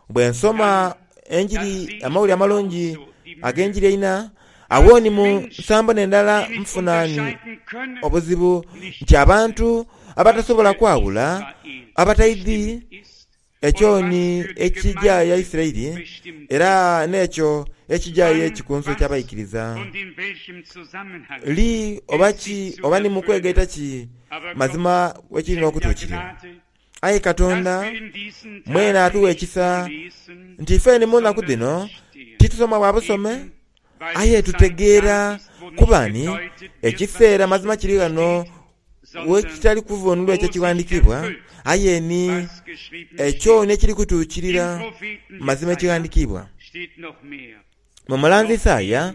Speaker 1: Bwe nsoma Enjiri, Amawulire Amalungi ag'Enjiri eina, agho ni mu nsambo n'endala nfuna ni obuzibu nti abantu abatasobola kwawula, abataidhi ekyo ni ekija ya Isiraeli era n'ekyo ekija y'ekikunsu eky'abaikiriza, li oba ki oba ni mu kwegaita ki mazima bwe kiri n'okutuukirira. Aye Katonda mwene atugha ekisa nti ife ni mu naku dhino titusoma bwa busome, aye tutegeera kuba ni ekiseera mazima kiri ghano wekitali kuvunulwa ekyo ekighandikiibwa, aye ni ekyo n'ekiri kutuukirira mazima ekighandikiibwa. Mu mulanzi Isaaya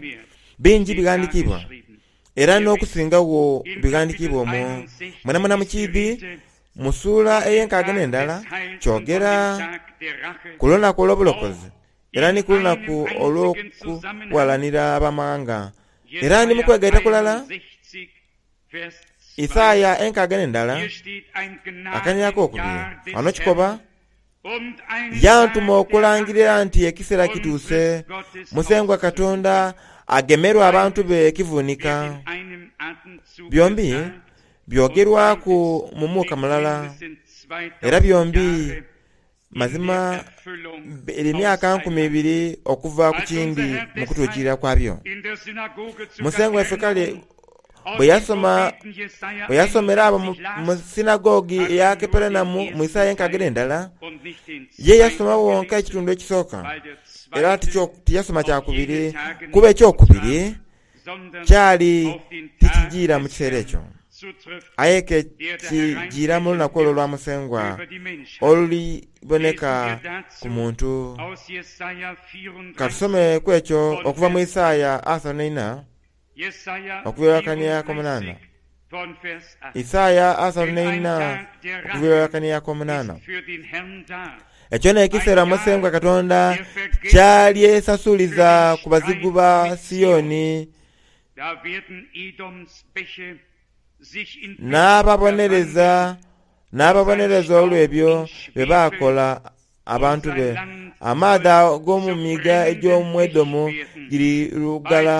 Speaker 1: bingi bighandikiibwa, era n'okusingagho bighandikiibwa omwo. Mwenamwena mukiidhi mu suula ey'enkaaga n'endala kyogera ku lunaku olw'obulokozi era ni ku lunaku olw'okughalanira abamaghanga. Era ni mu kwegaita kulala, Isaaya enkaaga n'endala akanhiriro akokubiri ghano kikoba, Yantuma okulangirira nti ekiseera kituuse Musengwa Katonda agemerwe abantu be ekivunika. Byombi byogerwaku mu muuka mulala, era byombi mazima biri myaka nkumi ibiri okuva ku kindi mu kutuukirira kwabyo. Musengwa waife kale bwe yasoma, bwe yasomera abo mu sinagogi eya Kaperenaumu mu Isaaya enkaaga n'endala, ye yasoma wonka ekitundu ekisooka, era tiyasoma kya kubiri, kuba eky'okubiri kyali tikijiira mu kiseera ekyo, aye ke kijiira mu lunaku olwo olwa Musengwa oluliboneka ku muntu. Ka tusome ku ekyo okuva mu Isaaya asatu n'eina okuviira lwakania ak'omunaana. Isaaya asatu n'eina okuviira lwakania ak'omunaana. Ekyo n'ekiseera Musengwa Katonda ky'alyesasuliza ku bazigu ba Sioni n'ababonereza n'ababonereza olw'ebyo bye baakola abantu be. Amaadhi ag'omu miiga egy'omu Edomu girirugala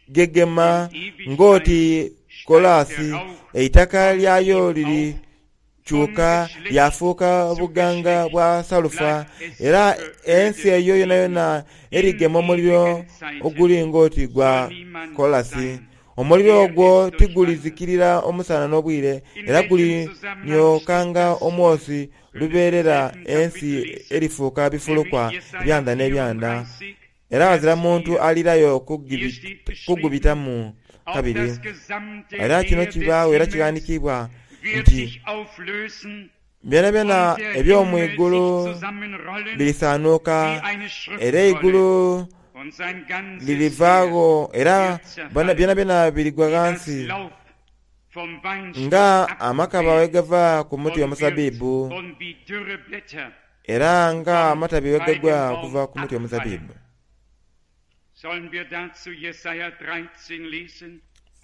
Speaker 1: gegema ng'oti kolaasi, eitaka lyayo lirikyuka lyafuuka buganga bwa salufa, era ensi eyo yonayona erigema omuliro oguli ng'oti gwa kolasi. Omuliro ogwo tigulizikirira omusana n'obwire, era guliniookanga omwosi lubeerera. Ensi erifuuka bifulukwa ebyanda n'ebyanda, era ghazira muntu aliirayo kugubitamu kabiri. Era kino kibaagho era kighandikiibwa nti byonabyona eby'omu igulu birisaanuuka, era eigulu lirivaagho era byonabyona birigwa ghansi nga amakaba bwe gava ku muti omuzabibu, era nga amatabi bwe gagwa okuva ku muti omuzabibu.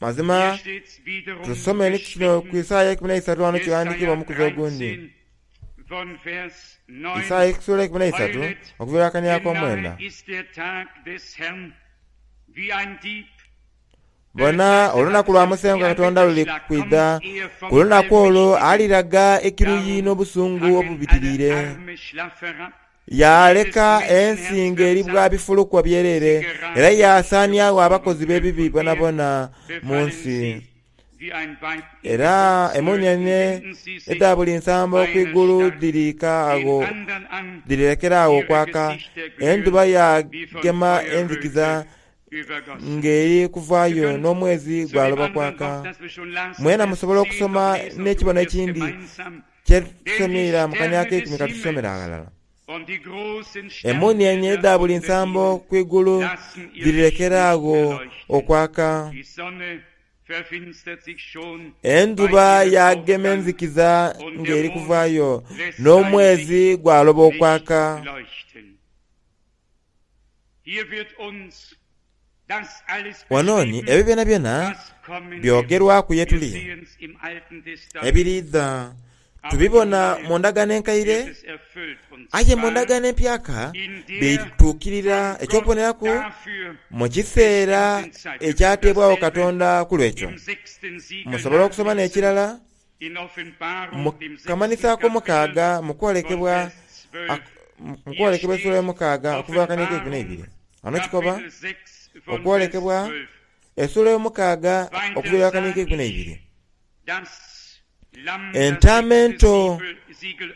Speaker 1: Mazima tusome ni kino ku Isaaya eikumi n'eisatu ghano kighandhikiibwa omukuzi ogundi. Isaaya essuula eikumi n'eisatu okuviira akania ak'omwenda. Bona, olunaku lwa Musengwa Katonda luli kwidha. Ku lunaku olwo aliraga ekiruyi n'obusungu obubitiriire, yaaleka ensi ng'eri bwa bifulukwa byereere, era yaasaaniagho abakozi b'ebibi boonaboona mu nsi. Era emuunienie edha buli nsambo ku igulu dhiriika agho dhirirekera agho okwaka, endhuba yaagema enzikiza ng'eri kuvaayo n'omwezi gwaloba kwaka. Mwena musobola okusoma n'ekibono ekindi kye tusomye eira mu kania ak'eikumi ka tusomere aghalala. Emuunienie edha buli nsambo ku igulu dhirirekera agho okwaka, endhuba yaagema enzikiza ng'eri kuvaayo, n'omwezi gwaloba okwaka. Wano ni ebyo byonabyona byogerwaku ye tuli ebiriidha. Tubibona mu Ndagaano Enkaire, aye mu Ndagaano Empyaka bituukirira eky'okuboneraku mu kiseera ekyateebwagho Katonda ku lw'ekyo. Musobola okusoma n'ekirala mu kamanhiso ak'omukaaga mu kwolekebwa mu kwolekebwa essuula ey'omukaaga okuva akania ak'eikumi n'eibiri. Ghano kikoba okwolekebwa essuula ey'omukaaga okuviira akania ak'eikumi n'eibiri. Entaama ento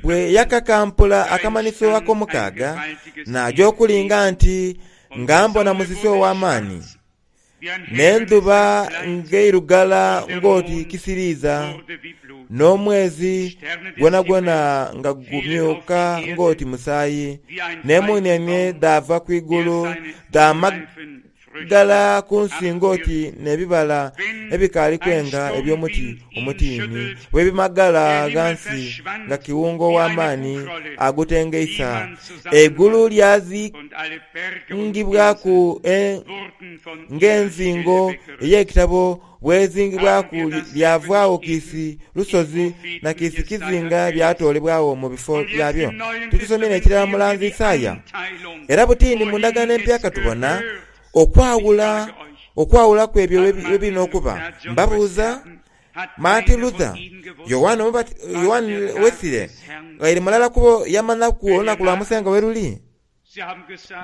Speaker 1: bwe yakakampula akamanhiso ak'omukaaga, naaja okulinga nti nga mbona musisi ow'amaani, n'endhuba ng'eirugala ng'oti kisiriiza, n'omwezi gwonagwona nga gumyuka ng'oti musaayi, n'emuunienie dhaava ku igulu dhaamagala ku nsi ng'oti n'ebibala ebikaali kwenga eby'omuti omutiini bwe bimagala ghansi nga kiwunga ow'amaani agutengeisa. Eigulu lyazingibwaku ng'enzingo ey'ekitabo bw'ezingibwaku lyavaagho kiisi lusozi na kiisi kizinga byatoolebwagho mu bifo byabyo. Titusomye n'ekirala mulanzi Isaaya? Era butini mu Ndagaano Empyaka tubona okwawula okwawula ku ebyo bye biri n'okuba. Mbabuuza, Martin Luther, Yoanne Wesley, ghaire mulala ku bo yamanhaku olunaku lwa Musengwa we luli?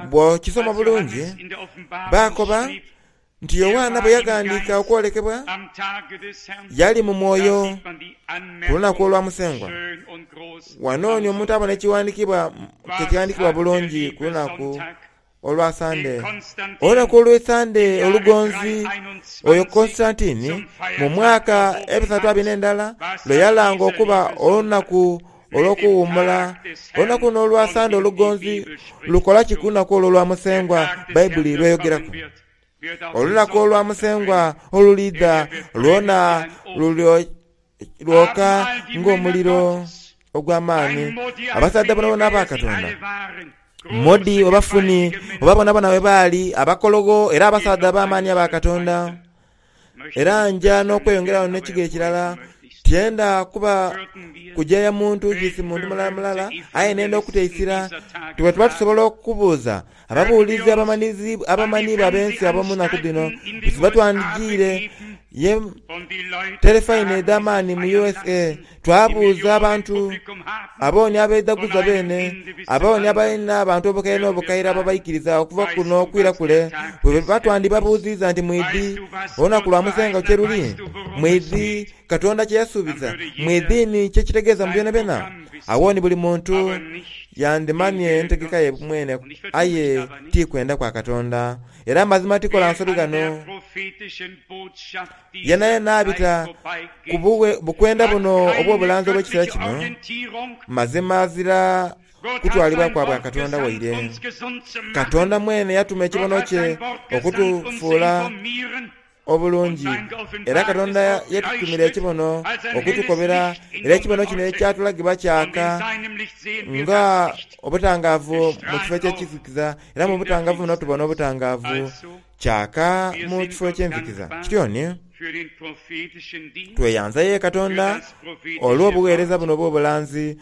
Speaker 1: Bw'okisoma bulungi, baakoba nti Yoanna bwe yaghandiika okwolekebwa, yali mu mwoyo ku lunaku olwa Musengwa. Wano ni omuntu abona ekighandiikibwa ke kyaghandiikibwa bulungi ku lunaku olwa Sande. Olunaku olw'Esande olugonzi oyo Konstantini mu mwaka ebisatu abiri n'endala lwe yalanga okuba olunaku olw'okuwuumula. Olunaku luno olwa Sande olugonzi lukola ki ku lunaku olwo olwa Musengwa Baibuli lw'eyogeraku? Olunaku olwa Musengwa oluliidha lwona lwoka ng'omuliro ogw'amaani. Abasaadha boonaboona aba Katonda, Modi oba Funi oba boonaboona bwe baali abakologho era abasaadha ab'amaani aba Katonda. Era nja n'okweyongerayo n'ekigere kirala. Tyenda kuba kujeeya muntu kiisi muntu mulala mulala, aye nenda okuteisira nti bwe tuba tusobola okubuuza ababuulizi abamanhiibwa ab'ensi ab'omu naku dhino, tuba twandijiire ye terefayina edh'amaani mu U S A twabuuza abantu, abooni abeidhaguza beene, abooni abalina abantu obukaire n'obukaire ababaikiriza okuva kuno okwira kule, bwe batwandibabuuziiza nti, Mwidhi olunaku lwa Musengwa kye luli? Mwidhi Katonda kye yasuubiza? Mwidhi ni kye kitegeeza mu byonabyona? Agho ni buli muntu yandimanye entegeka ye mwene, aye ti kwenda kwa Katonda. Era amazima tikola nsobi ghano. Yenayena abita ku bukwenda buno obw'obulanzi obw'ekiseera kino, mazima azira kutwalibwa kwa bwa Katonda waire. Katonda mwene yatuma ekibono kye okutufuula obulungi, era Katonda yatutumira ekibono okutukobera, era ekibono kino ekyatulagibwa kyaka nga obutangaavu mu kifo eky'ekizikiza, era mu butangaavu buno tubona obutangaavu kyaka mu kifo eky'enzikiza. Kityo ni tweyanza ye Katonda olw'obuweereza buno obw'obulanzi,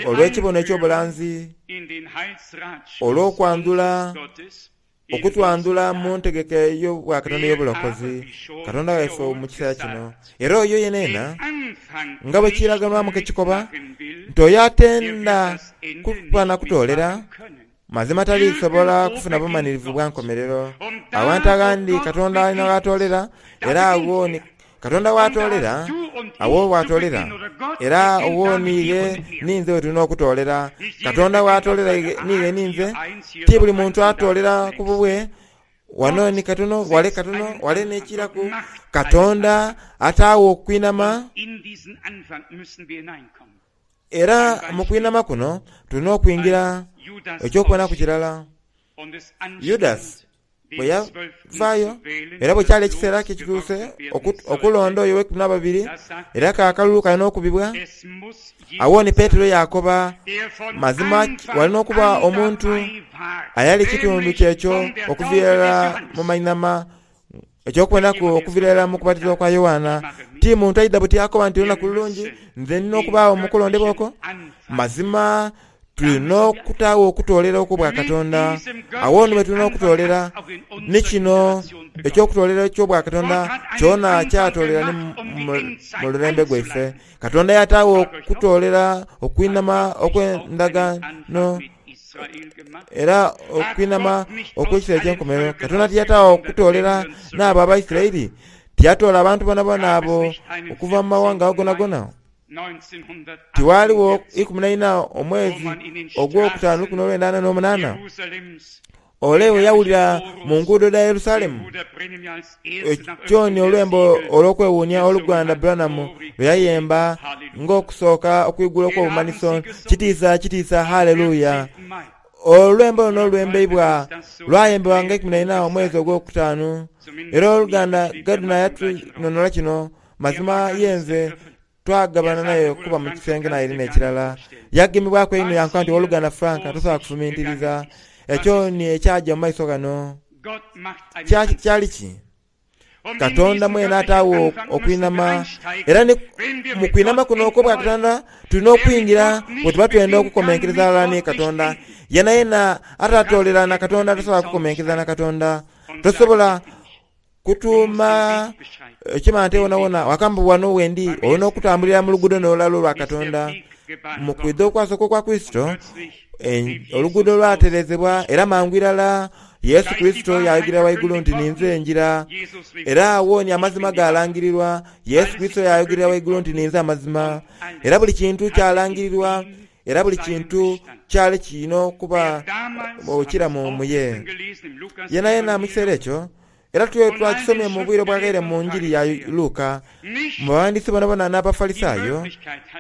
Speaker 1: olw'ekibono eky'obulanzi, olw'okwandhula okutwandhula mu ntegeka ey'obwa Katonda ey'obulokozi, Katonda waife mu kiseera kino. Era oyo yenena nga bwe kiraganwamu kekikoba nti oyo atenda kuba na kutoolera mazima talisobola kufuna bumanirivu bwa nkomerero. Awantu aghandi Katonda alina gh'atoolera, era agho ni Katonda w'atoolera, agho w'atoolera, era ogho niighe ninze we tulina okutoolera. Katonda w'atoolera niighe ninze, ti buli muntu atoolera ku bubwe. Wano ni katono, wale katono, wale n'ekiraku. Katonda ataagho okwinama, era mu kwinama kuno tulina okwingira. Eky'okubonaku kirala, Yudasi bwe yavaayo, era bwe kyali ekiseera kye kituuse okulonda oyo ow'eikumi n'ababiri, era k'akalulu kalina okubibwa. Agho ni Petero yaakoba, mazima walina okuba omuntu ayali kitundu kyekyo okuviira irala mu mainhama, eky'okubonaku okuviira irala mu kubatizibwa kwa Yoanna. Ti muntu aidha buti akoba nti olunaku lulungi, nze nina okubaagho mu kulondebwa okwo. Mazima tulina okutaagho okutoolera okw'Obwakatonda. Agho ni bwe tulina okutoolera. Ni kino eky'okutoolera eky'Obwakatonda kyona kyatoolera ni mu lulembe gwaife. Katonda yataagho okutoolera okwinhama okw'endagaano era okwinhama okw'ekiseera eky'enkomerero. Katonda tiyataagho okutoolera n'abo Abaisiraeli? Tiyatoola abantu boonaboona abo okuva mu mawanga ago gonagona? Tiwaaliwo ikumi na ina omwezi ogwokutaanu lukumi n'olwenda ana n'omunaana, ole bwe yawulira mu nguudo dha Yerusalemu ekyoni olwembo olw'okwewuunia oluganda Branham lwe yayemba ng'okusooka okwigula okw'obumanhiso, Kitiisa, kitiisa, haleluya! Olwembo luno olwembeibwa lwayembebwa nga ikumi na ina omwezi ogwokutaanu, era oluganda Gardner yatunonhola kino. Mazima ye nze twagabana naye okuba mu kisenge naire n'ekirala. Yagemebwaku einho yankoba nti, Ow'oluganda Frank, tosobola kufumintiriza ekyo ni ekyaja mu maiso ghano. Kyali ki? Katonda mwene ataagho okwinhama. Era ni mu kwinhama kuno okw'Obwakatonda tulina okwingira bwe tuba twenda okukomenkereza ghalala ni Katonda. Yenayena atatoolera na Katonda tasobola kukomenkereza na Katonda. Tosobola kutuuma ekimante wonawona wakamba wano wendi. Olina okutambulira mu luguudo n'olulala olwa Katonda. Mu kwidha okwasooka okwa Kurisito, oluguudo lwaterezebwa era mangu irala Yesu Kurisito yayogera waigulu nti, Ninze enjira. Era agho ni amazima gaalangirirwa. Yesu Kurisito yayogera waigulu nti, Ninze amazima. Era buli kintu kyalangirirwa, era buli kintu kyali kirina okuba ekiramu mu ye. Yenayena mu kiseera ekyo, era twakisomye mu bwire obwaghaire mu Njiri ya Luka, mu baghandiisi bonabona n'Abafalisaayo,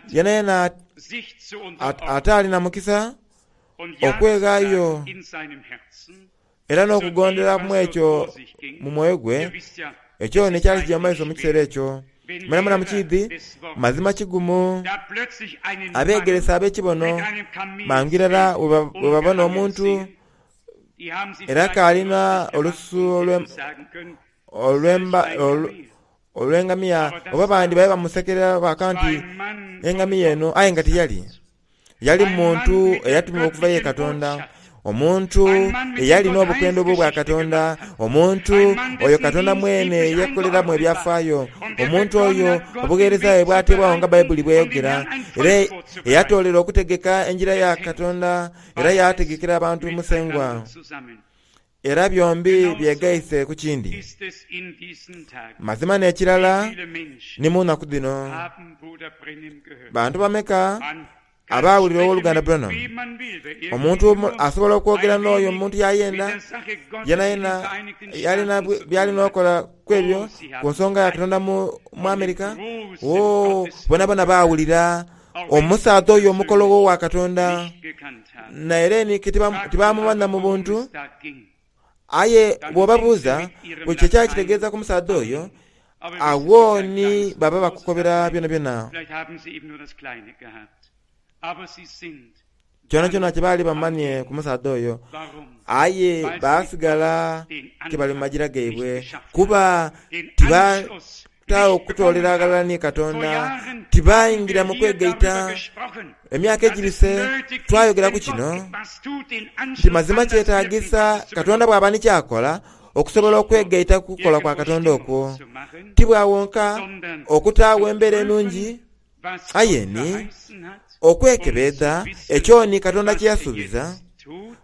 Speaker 1: yenayena ataali na mukisa okweghaayo era n'okugondera mu ekyo mu mwoyo gwe, ekyo n'ekyali kija mu maiso mu kiseera ekyo. Mwenamwena mukiidhi, mazima kigumu abeegeresa ab'ekibono mangu irala bwe babona omuntu era k'alina olususu olw'engamiya, oba bandi babe bamusekerera baka nti engamiya eno, aye nga tiyali. Yali muntu eyatumibwa okuva ye Katonda, omuntu eyali n'obukwenda obw'obwakatonda, omuntu oyo Katonda mwene yekoleramu ebyafaayo, omuntu oyo obugheereza bwe bwateebwagho nga Baibuli bw'eyogera, era eyatoolera okutegeka engira ya Katonda era yaategekera abantu Musengwa. Era byombi byegaise ku kindi. Mazima n'ekirala ni mu naku dhino. Bantu bameka abaawulira Ow'oluganda Branham? Omuntu asobola okwogera n'oyo omuntu y'ayenda, yenayena yalina by'alina okola ku ebyo, ku nsonga ya Katonda mu, mu Amerika. Oo, bonabona baawulira Omusaadha oyo omukologho wa Katonda naire ni tibamumanya mu buntu, aye bw'obabuuza buli kye kyali kitegeeza ku musaadha oyo, agho ni baba bakukobera byonabyona. Kyonakyona kye baali bamanye ku musaadha oyo, aye baasigala ke bali mu magira gaibwe, kuba tibataagho okutoolera ghalala ni Katonda, tibaingira mu kwegaita. Emyaka egibise twayogera ku kino nti mazima kyetaagisa Katonda bw'aba ni ky'akola okusobola okwegaita ku kukola kwa Katonda okwo, ti bwa wonka okutaagho embeera enungi, aye ni okwekebeedha ekyo ni Katonda kye yasuubiza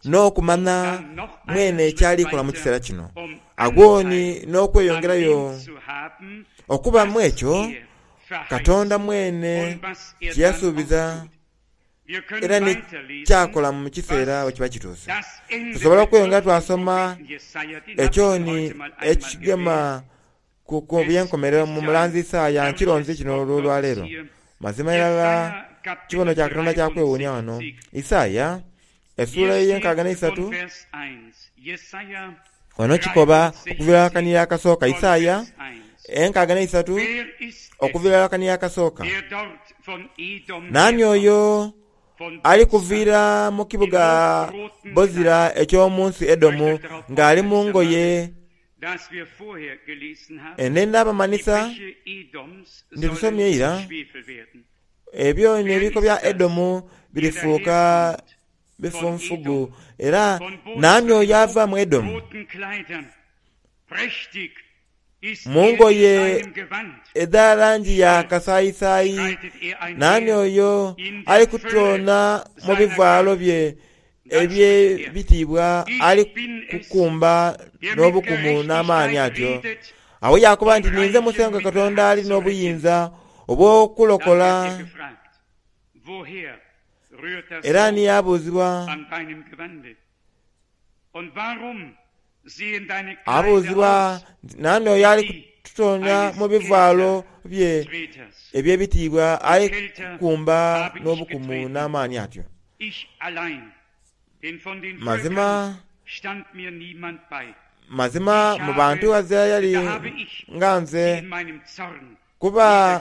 Speaker 1: n'okumanya mwene ky'ali kola mu kiseera kino. Agho ni n'okweyongerayo okuba mu ekyo Katonda mwene kye yasuubiza era ni ky'akola mu kiseera bwe kiba kituuse. Tusobola okweyongera twasoma ekyo ni ekigema ku by'enkomerero mu mulanzi Isaaya nkironzi kino olwaleero. Mazima irala kibono kya Katonda kya kwewuunia wano. Isaaya essuula ey'enkaaga n'eisatu wano kikoba okuviira akaniya akasooka. Isaaya enkaaga n'eisatu okuviira akaniya akasooka. Naani oyo ali kuviira mu kibuga Bozira eky'omu nsi Edomu ng'ali mu ngoye Ene n'abamanhisa nti tusomye ira, ebyo n'ebiiko bya Edomu birifuuka bifunfugu. Era naani oyo ava mu Edomu? Mu ngoye edha langi ya kasaayisaayi, naani oyo ali kutoona mu bivaalo bye eby'ebitiibwa ali kukumba n'obukumu n'amaani atyo? Agho yaakoba nti, Ninze Musengwa Katonda ali n'obuyinza obw'okulokola. Era ni yabuuzibwa, abuuzibwa nti, Naani oyo ali kutoona mu bivaalo bye eby'ebitiibwa ali kukumba n'obukumu n'amaani atyo? Mazima, mazima mu bantu ghazira yali nga nze, kuba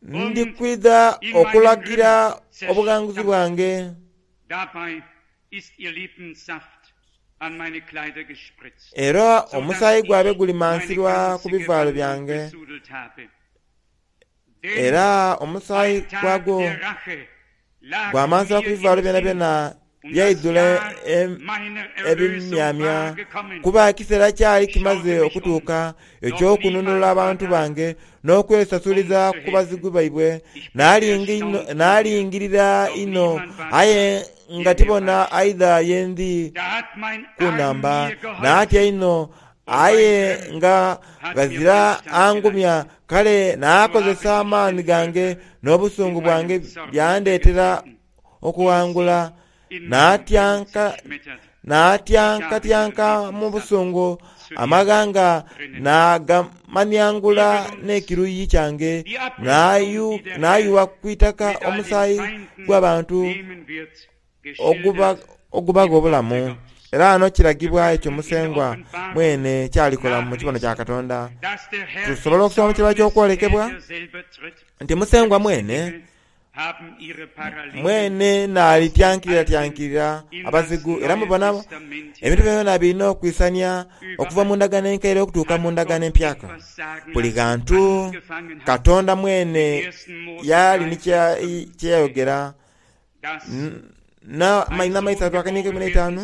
Speaker 1: ndi kwidha okulagira obughanguzi bwange. Era omusaayi gwaibwe gulimansirwa ku bivaalo byange, era omusaayi gwagwo gwamansirwa ku bivaalo byonabyona byaidhula ebimyamya, kuba ekiseera kyali kimaze okutuuka eky'okununula abantu bange n'okwesasuliza ku bazigu baibwe. Naalingirira inho aye nga tibona aidha ye ndi kunhamba. Naatya inho aye nga ghazira angumya. Kale naakozesa amaani gange n'obusungu bwange byandeetera okughangula. Naatyankatyanka mu busungu amaghanga naagamaniangula n'ekiruyi kyange, naayugha ku itaka omusaayi gw'abantu ogubagha obulamu. Era ghano kiragibwa ekyo Musengwa mwene ky'alikola mu kibono kya Katonda. Tusobola okusoma mu kirala ky'okwolekebwa nti Musengwa mwene mwene n'alityankiriratyankirira abazigu. Era mubona ebintu byonabyona birina okwisania okuva mu ndagaano enkaire okutuuka mu ndagaano empyaka. Buli ghantu Katonda mwene yali ni kye yayogera. N'amaisatu akaniike ikumi n'eitaanu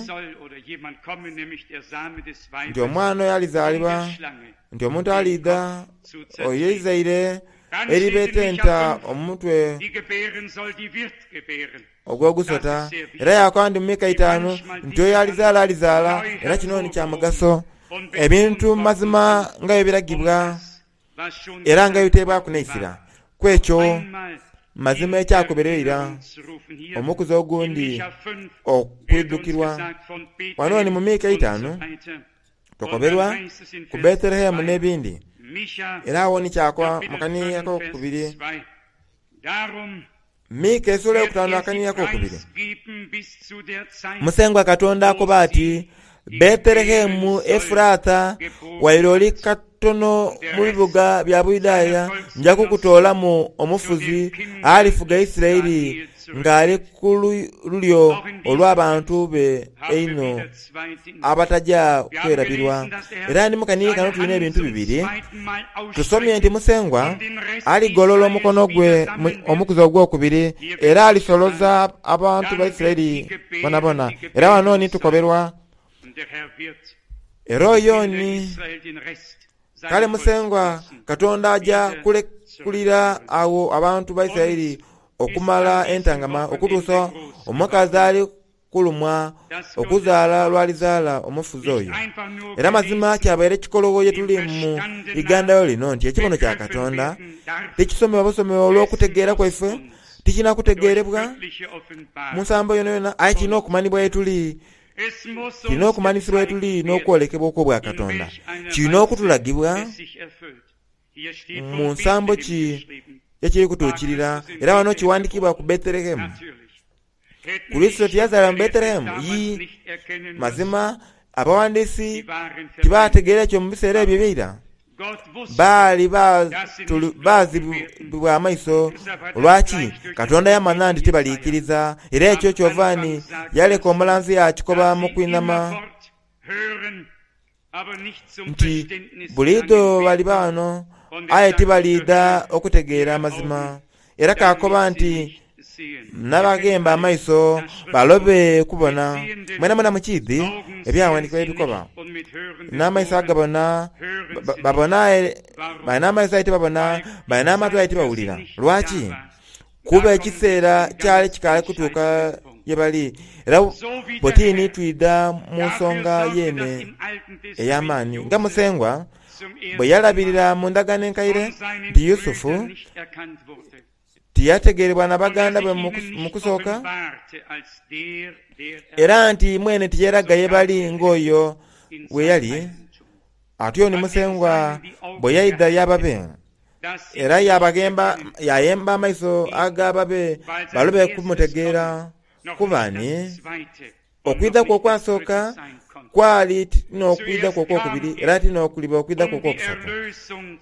Speaker 1: nti omwana oyo alizaalibwa, nti omuntu aliidha, oyo eizaire eribetenta omutwe ogw'ogusota. Era yaakoba nti mu Mika itaanu nti oyo alizaala alizaala, era kino ni kya mugaso. Ebintu mu mazima nga bwe biragibwa era nga bwe biteebwaku n'eisira ku ekyo mazima ekyakoberwa eira, omukuzi ogundi okwidhukirwa. Wano ni mu Mika eitaanu tukoberwa ku Bethelehemu n'ebindi, era agho ni kyakoba mu kaniini akokubiri. Mika esula eyokutaanu akaniina akokubiri. Musengwa Katonda akoba ati, Bethelehemu Efuratha, waire oli katono mu bibuga bya Buyudaaya, nja kukutoolamu omufuzi alifuga Isiraeli ng'ali ku lulyo olw'abantu be einho abataja kwerabirwa. Era ndi mu kaniini kano tulina ebintu bibiri. Tusomye nti Musengwa aligolola omukono gwe omukuzi ogwokubiri era alisoloza abantu ba Isiraeli bonabona. Era wano ni tukoberwa era oyo ni kale Musengwa Katonda aja kulekulira agho abantu ba Isiraeli okumala entangama okutuusa omukazi ali kulumwa okuzaala lw'alizaala omufuzi oyo. Era mazima kyabaire kikologho ye tuli mu igandayo lino nti ekibono kya Katonda tikisomebwa busomebwa olw'okutegeera kwaife, tikirina kutegeerebwa mu nsambo yonayona, aye kirina okumanibwa ye tuli, kirina okumanhisibwa ye tuli n'okwolekebwa okw'Obwakatonda. Kirina okutulagibwa mu nsambo ki ye kiri kutuukirira. Era wano kiwandiikibwa ku Bethelehemu. Kurisito tiyazaalibwa mu Bethelehemu? Yii, mazima abawandiisi tibaategeera ekyo mu biseera ebyo eby'eira. Baali baazibibwa amaiso. Lwaki? Katonda yamanha nti tibaliikiriza. Era ekyo kyova ni yaleka omulanzi yaakikoba mu kwinhama nti buliidho baliba ghano aye tibaliidha okutegeera amazima. Era kaakoba nti nabaghemba amaiso balobe kubona. Mwenamwena mukiidhi ebyawandiikibwa ebikoba, n'amaiso agabona babona aye balina amaiso aye tibabona, balina amatu aye tibawulira. Lwaki? Kuba ekiseera kyali kikaali kutuuka ye bali. Era bwetini twidha mu nsonga yeene ey'amaani nga Musengwa bwe yalabirira mu ndagaano enkaire nti Yusufu tiyategeerebwa na baganda be mu kusooka, era nti mwene tiyeraga ye bali ng'oyo bwe yali. Atyo ni Musengwa bwe yaidha y'ababe, era yabaghemba yayemba amaiso ag'ababe balobe kumutegeera. Kuba ni okwidha kwe okwasooka kwali ti n'okwidha kwe okwokubiri, era ti n'okuliba okwidha kwe okwokusatu.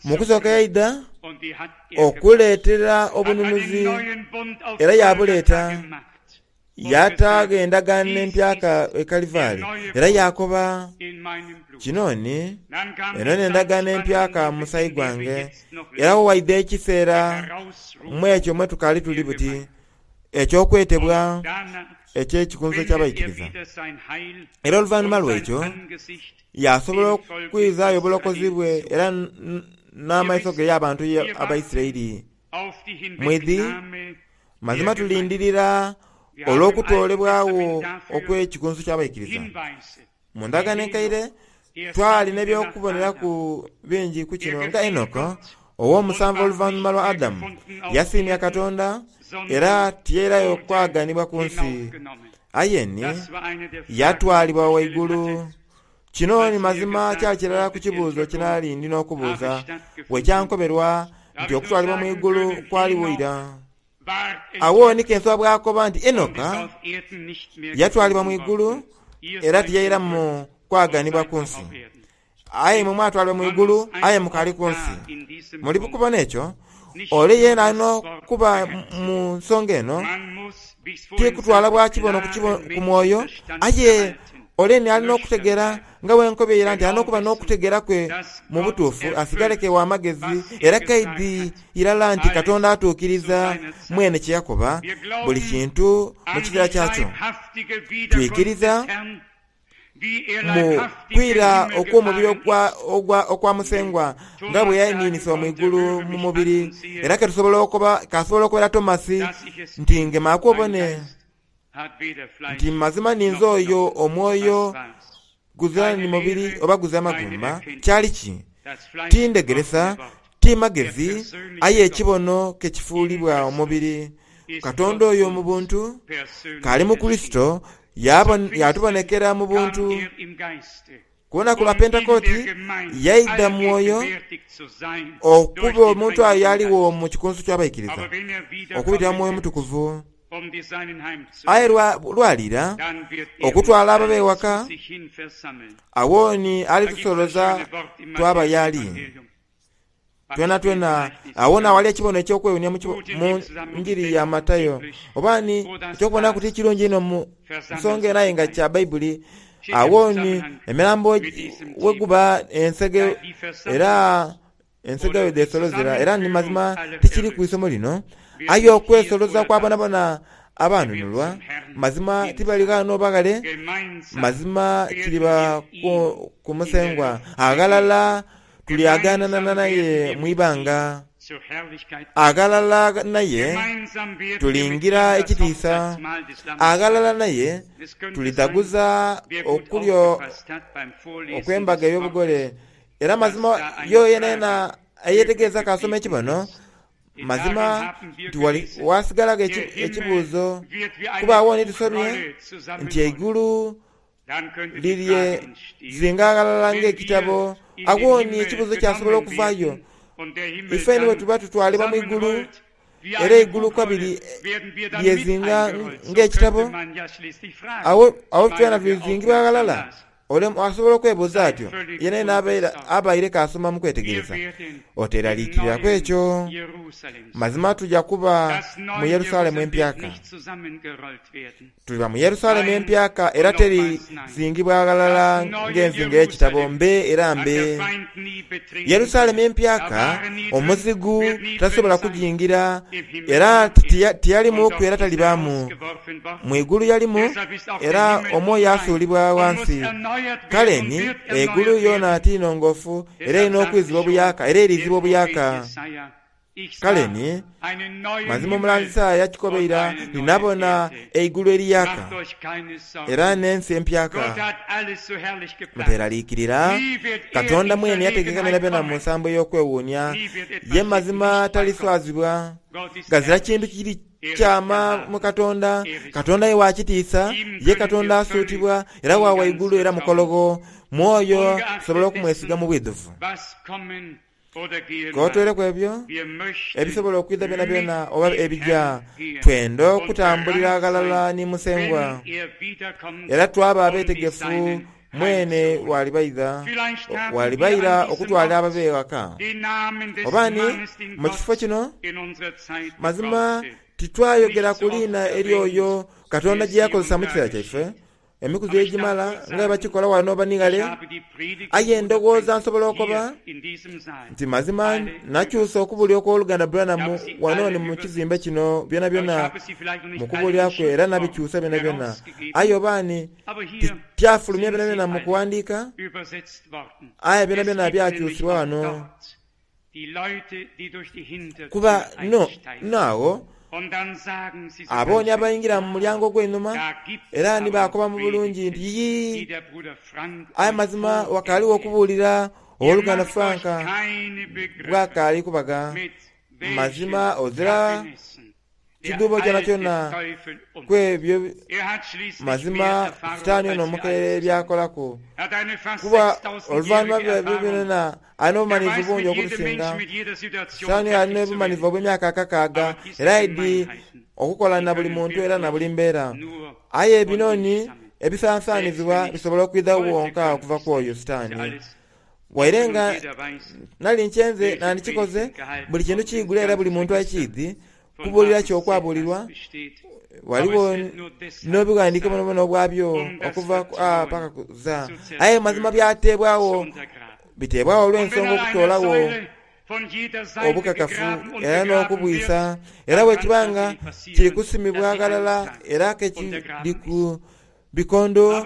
Speaker 1: Mu kusooka yaidha okuleetera obununuzi, era yaabuleeta. Yataagho endagaano empyaka e Kalivaali, era yaakoba, Kino ni, eno n'endagaano empyaka mu musaayi gwange. Era agho waidha ekiseera mu ekyo mwe tukaali tuli buti, eky'okwetebwa eky'Ekikunso ky'Abaikiriza. Era oluvanhuma lw'ekyo yaasobola okwizaayo obulokozi bwe era n'amaiso ge y'abantu Abaisiraeli. Mwidhi, mazima tulindirira olw'okutoolebwagho okw'Ekikunsu ky'Abaikiriza. Mu Ndagaano Enkaire twali n'eby'okuboneraku bingi ku kino, nga Enoka, ow'omusanvu oluvanhuma lwa Adamu, yasiimya Katonda era tiyairayo kwaganibwa ku nsi, aye ni yatwalibwa ghaigulu. Kino ni mazima kyali kirala ku kibuuzo kye nali ndi n'okubuuza bwe kyankoberwa nti okutwalibwa mu igulu kwaligho ira. Agho ni Kenswa bw'akoba nti Enoka yatwalibwa mu igulu era tiyairamu kwaganibwa ku nsi. Aye imwe mwatwalibwa mu igulu, aye mukaali ku nsi. Muli kubona ekyo? Ole yeena alina okuba mu nsonga eno, ti kutwala bwa kibono ku mwoyo, aye ole ni alina okutegeera nga bwe nkobye ira nti alina okuba n'okutegeera kwe mu butuufu, asigale ke wa magezi era kaidhi irala nti Katonda atuukiriza mwene kye yakoba, buli kintu mu kiseera kyakyo. Twikiriza mu kwira okw'omubiri okwa Musengwa nga bwe yainiinisibwa mu igulu mu mubiri. Era ke tusobola okoba, k'asobola okobera Tomasi nti, Ngemaaku obone nti mazima ninze oyo omwoyo guzira ni mubiri oba guzira magumba. Kyali ki? Ti ndhegeresa, ti magezi, aye ekibono ke kifuulibwa omubiri. Katonda oyo mu buntu, k'ali mu Kurisito, yatubonekera mu buntu. Ku lunaku lwa Pentekooti yaidha Mwoyo okuba omuntu ayo yaligho mu kikunsu ky'abaikiriza okubitira mu Mwoyo Mutukuvu. Aye lwalira okutwala ababe ewaka, awo ni alitusoloza twaba y'ali twenatwena. Awo n'awali ekibono eky'okwewuunia mu njiri ya Matayo, oba ni eky'okubonaku ti kirungi inho mu nsonga eno aye nga kya Baibuli. Awo ni emirambo weguba ensege era ensege we dhesolozera, era ni mazima tikiri ku isomo lino. Aye okwesoloza kwa bonabona abanunulwa, mazima tibali ghano baghale, mazima kiriba ku Musengwa. Aghalala tulyaganana naye mu ibanga, aghalala naye tulingira ekitiisa, aghalala naye tulidhaguza okulya okw'embaga ey'obugole. Era mazima yo yenayena eyetegereza kasoma ekibono, mazima nti wasigalagho ekibuuzo, kuba awo ni tusomye nti eigulu lirye zinga aghalala ng'ekitabo. Awo ni ekibuuzo kyasobola okuvaayo, ife ni bwe tuba tutwalibwa mu igulu, era eigulu kabiri lyezinga ng'ekitabo, awo twena tulizingibwa aghalala. Ole asobola okwebuuza atyo yenayena abaire kasoma mu kwetegereza. Oteraliikiriraku ekyo. Mazima tuja kuba mu Yerusalemu empyaka. Tuliba mu Yerusalemu empyaka era teri zingibwa ghalala ng'enzinga y'ekitabo mbe era mbe. Yerusalemu empyaka omuzigu tasobola kujingira, era tiyalimuku era talibaamu. Mu igulu yalimu era omwoyo asuulibwa ghansi. Kale ni eigulu yoona ti nongoofu era erina okwizibwa obuyaka, era eriizibwa obuyaka. Kale ni mazima omulanzi Isaaya yakikoba ira, ninabona eigulu eriyaka era n'ensi empyaka. Muteraliikirira, Katonda mwene yategeka byonabyona mu nsambo ey'okwewuunia. Ye mazima taliswazibwa. Ghazira kintu kiri kyama mu Katonda. Katonda ye wa kitiisa, ye Katonda asuutibwa era wa waigulu era mukologho. Mwoyo tusobola okumwesiga mu bwidhuvu. K'otweireku ebyo ebisobola okwidha byonabyona oba ebija, twenda okutambulira ghalala ni Musengwa era twaba abeetegefu mwene walibaidha walibaira okutwala ababe ewaka. Oba ni mu kifo kino, mazima titwayogera ku liina ery'oyo Katonda gye yakozesa mu kiseera kyaife, emikuzi egimala nga bwe bakikola wano oba ni ghale. Aye ndowooza nsobola okoba nti mazima nakyusa okubuulira okw'oluganda Branham wano ni mu kizimbe kino byonabyona mu kubuulira kwe, era nabikyusa byonabyona. Aye oba ni tityafulumya byonabyona mu kuwandiika, aye byonabyona byakyusibwa wano. Kuba no naagho abooni abaingira mu mulyango ogw'einhuma era ni bakoba mu bulungi nti yiyi, aye mazima wakaaliwo okubuulira ow'oluganda Frank bwakaali kubaga. Mazima ozira kidhuubo kyonakyona ku ebyo mazima Sitaani ono omukaire byakolaku. Kuba oluvannyuma lw'ebyo byonayona alina obumanivu bungi okutusinga. Sitaani alina obumanivu obw'emyaka akakaaga era aidi okukola na buli muntu era na buli mbeera. Aye ebinoni ebisansanizibwa bisobola okwidha wonka okuva ku oyo Sitaani. Waire nga nali nkyenze nandikikoze, buli kintu kiigule era buli muntu akiidhi, kubuulira ki okwabuulirwa, ghaligho n'obughandiike bwonabwona obwabyo okuva ku A paka ku Z. Aye mazima byateebwagho, biteebwagho olw'ensonga okutoolagho obukakafu era n'okubwisa. Era bwekiba nga kiri kusimibwa ghalala era ke kiri ku bikondo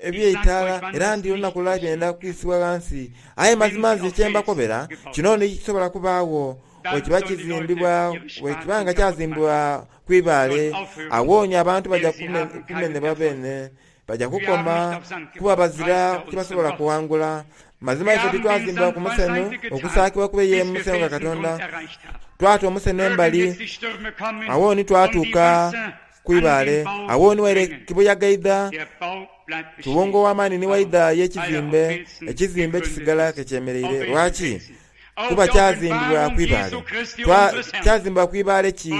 Speaker 1: eby'eitaala, era ndi olunaku lulala byenda kwisibwa ghansi. Aye mazima nze kye mbakobera kino ni kisobola kubaagho bwekiba kizimbibwa, bwekiba nga kyazimbibwa ku ibaale, awooni abantu baja kumenhebwa beene, baja kukoma kuba bazira kyebasobola kuwangula. Mazima ife titwazimbibwa ku musenho okusaakibwa kube ye Musengwa Katonda. Twata omusenho embali, awooni twatuuka ku ku ibaale. Agho ni waire kibuyaga aidha, kiwunga ow'amaani ni waidha y'ekizimbe, ekizimbe kisigala ke kyemereire. Lwaki? Kuba kyazimbibwa ku ibaale. Kyazimbibwa ku ibaale ki?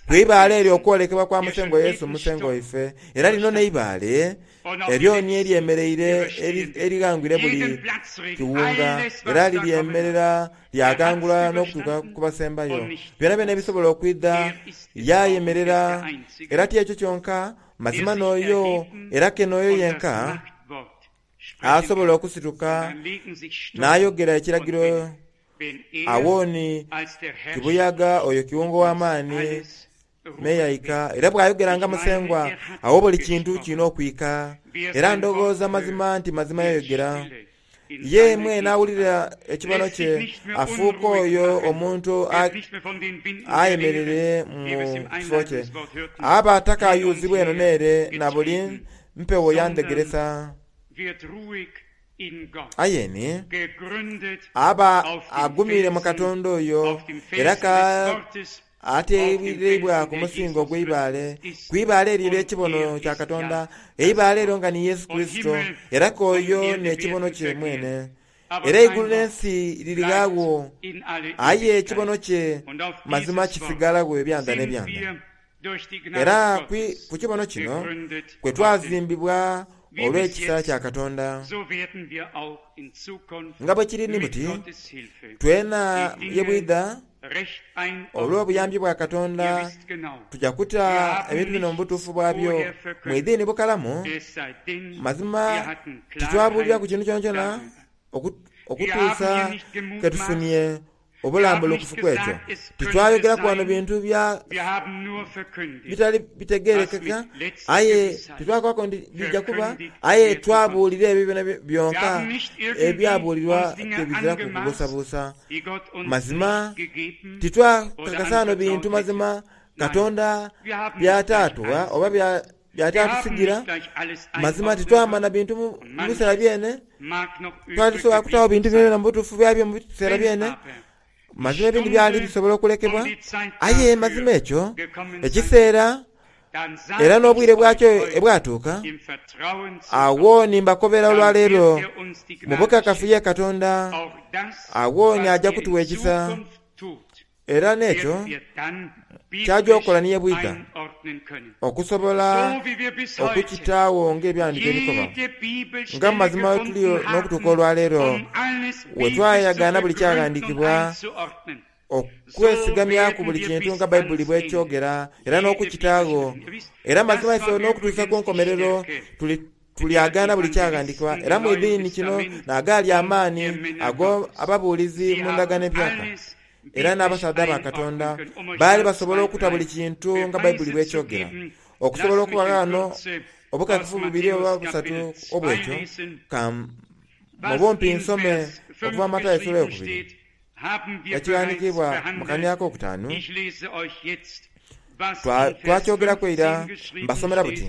Speaker 1: Ku ibaale eryo okwolekebwa kwa Musengwa Yesu Musengwa waife. Era lino n'eibaale eryo ni eryemereire erighangwire buli kiwunga, era liryemerera lyaghangula n'okutuuka ku basembayo. Byonabyona ebisobola okwidha lyayemerera. Era ti ekyo kyonka, mazima n'oyo era ke n'oyo yenka asobola okusituka n'ayogera ekiragiro. Agho ni kibuyaga oyo kiwunga ow'amaani meyaika, era bw'ayogera nga Musengwa, agho buli kintu kirina okwika. Era ndowooza mazima nti mazima yayogera. Ye mwene awulira ekibono kye afuuka oyo omuntu ayemereire mu kifo kye. Aba atakayuzibwa eno n'ere na buli mpewo ya ndhegeresa. Aye ni aba agumiire mu Katonda oyo, era ka ateereibwa ku musingo ogw'eibaale, ku ibaale eryo ery'ekibono kya Katonda, eibaale eryo nga ni Yesu Kurisito, era ka oyo n'ekibono kye mwene. Era eigulu n'ensi lirighagho, aye ekibono kye mazima kisigalagho ebyanda n'ebyanda. Era ku kibono kino kwe twazimbibwa olw'ekisa kya Katonda. Nga bwe kiri ni buti, twena ye bwidha olw'obuyambi bwa Katonda tuja kuta ebintu bino mu butuufu bwabyo mwidhini bukalamu. Mazima titwabuuliraku kintu kyonakyona okutuusa ke tufunie obulambulukufu ku ekyo. Titwayogeraku wano bintu bya bitali bitegeerekeka, aye titwakobaku nti bija kuba, aye twabuulira ebyo byona byonka ebyabuulirwa tebiziraku kubuusabuusa. Mazima titwakakasa ghano bintu mazima Katonda by'ataatugha oba by'ataatusigira. Mazima titwamana bintu mu biseera byene, twali tusobola kutaagho bintu byonabyona mu butuufu bwabyo mu biseera byene. Mazima ebindi byali bisobola okulekebwa, aye mazima ekyo ekiseera era n'obwire bwakyo ebwatuuka, agho ni mbakobera olwaleero mu bukakafu ye Katonda, agho ni aja kutuwa ekisa. Era n'ekyo ky'aja okukola ni ye bwidha, okusobola okukitaagho ng'Ebyawandiiko ebikoba. Nga mu mazima we tuli n'okutuuka olwaleero, we twayagaana buli kyaghandiikibwa, okwesigamyaku buli kintu nga Baibuli bw'ekyogera, era n'okukitaagho. Era mazima ife n'okutuusa ku nkomerero tuli tulyagaana buli kyaghandiikibwa. Era mwidhini kino n'agaali amaani ago ababuulizi mu Ndagaano Empyaka era n'abasaadha ba Katonda baali basobola okuta buli kintu nga Baibuli bw'ekyogera. Okusobola okuba ghano obukakafu bubiri oba busatu obw'ekyo, ka mu bumpi nsome okuva mu Matayo esula eyokubiri ekighandiikibwa mu kanhiriri akokutaanu. Twakyogeraku eira, mbasomera buti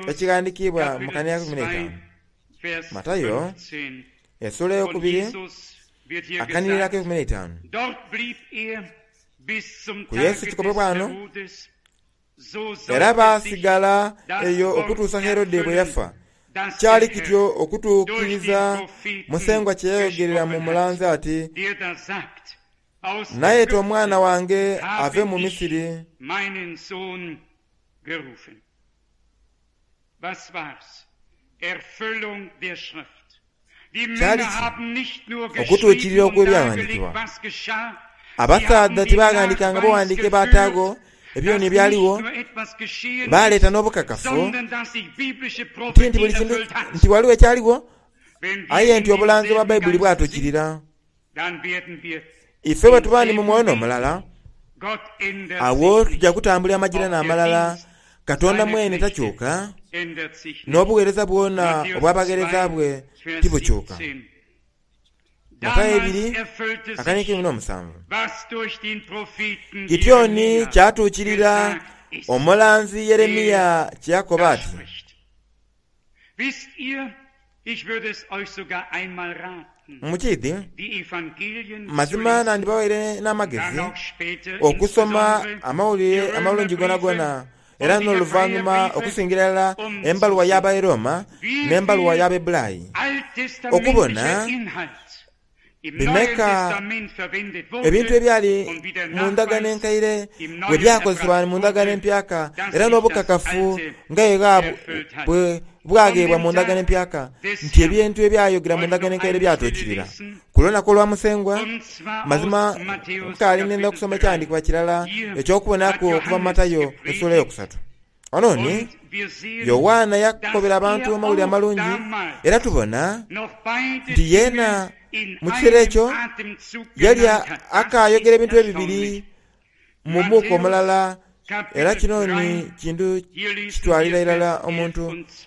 Speaker 1: ekighandiikibwa mu kanhiriri ak'eikumi n'eitaanu. Matayo esula eyokubiri akanhiriri ak'eikumi n'eitaanu. Ku Yesu kikobebwa ghano, Era baasigala eyo okutuusa Herode bwe yafa. Kyali kityo okutuukiriza Musengwa kye yayogerera mu mulanzi ati, Nayeta omwana wange ave mu Misiri. Kyali ki? Okutuukirira okw'Ebyaghandiikibwa. Abasaadha tibaghandiikanga bughandiike baataagho ebyoni ebyaligho, baaleeta n'obukakafu ti nti buli kintu nti ghaligho ekyaligho, aye nti obulanzi obwa Baibuli bwatuukirira. Ife bwe tuba ni mu mwoyo n'omulala, agho tuja kutambulira amagirano amalala. Katonda mwene takyuka, n'obugheereza bwona obw'abagheereza bwe tibukyuka. Matayo ibiri akaniiko eikumi n'omusanvu. Kityo ni kyatuukirira omulanzi Yeremia kye yakoba ati. Mukiidhi, mazima nandibawaire n'amagezi okusoma Amawulire Amalungi goonagoona Era n'oluvannyuma okusingira irala embaluwa y'Abairoma n'embaluwa y'Abaebulaayi, okubona bimeka ebintu ebyali mu ndagaano enkaire bwe byakozesebwa mu ndagaano empyaka, era n'obukakafu nga bwe bwagheebwa mu ndagaano empyaka nti ebintu ebyayogera mu ndagaano enkaire byatuukirira ku lunaku olwa Musengwa. Mazima nkaali nenda okusoma ekyawandiikibwa kirala eky'okubonaku okuva mu Matayo essuula eyokusatu. Ono ni Yowaana yakobera abantu Amawulire Amalungi, era tubona nti yeena mu kiseera ekyo yali akaayogera ebintu ebibiri mu muuka omulala, era kino ni kintu kitwalira irala omuntu.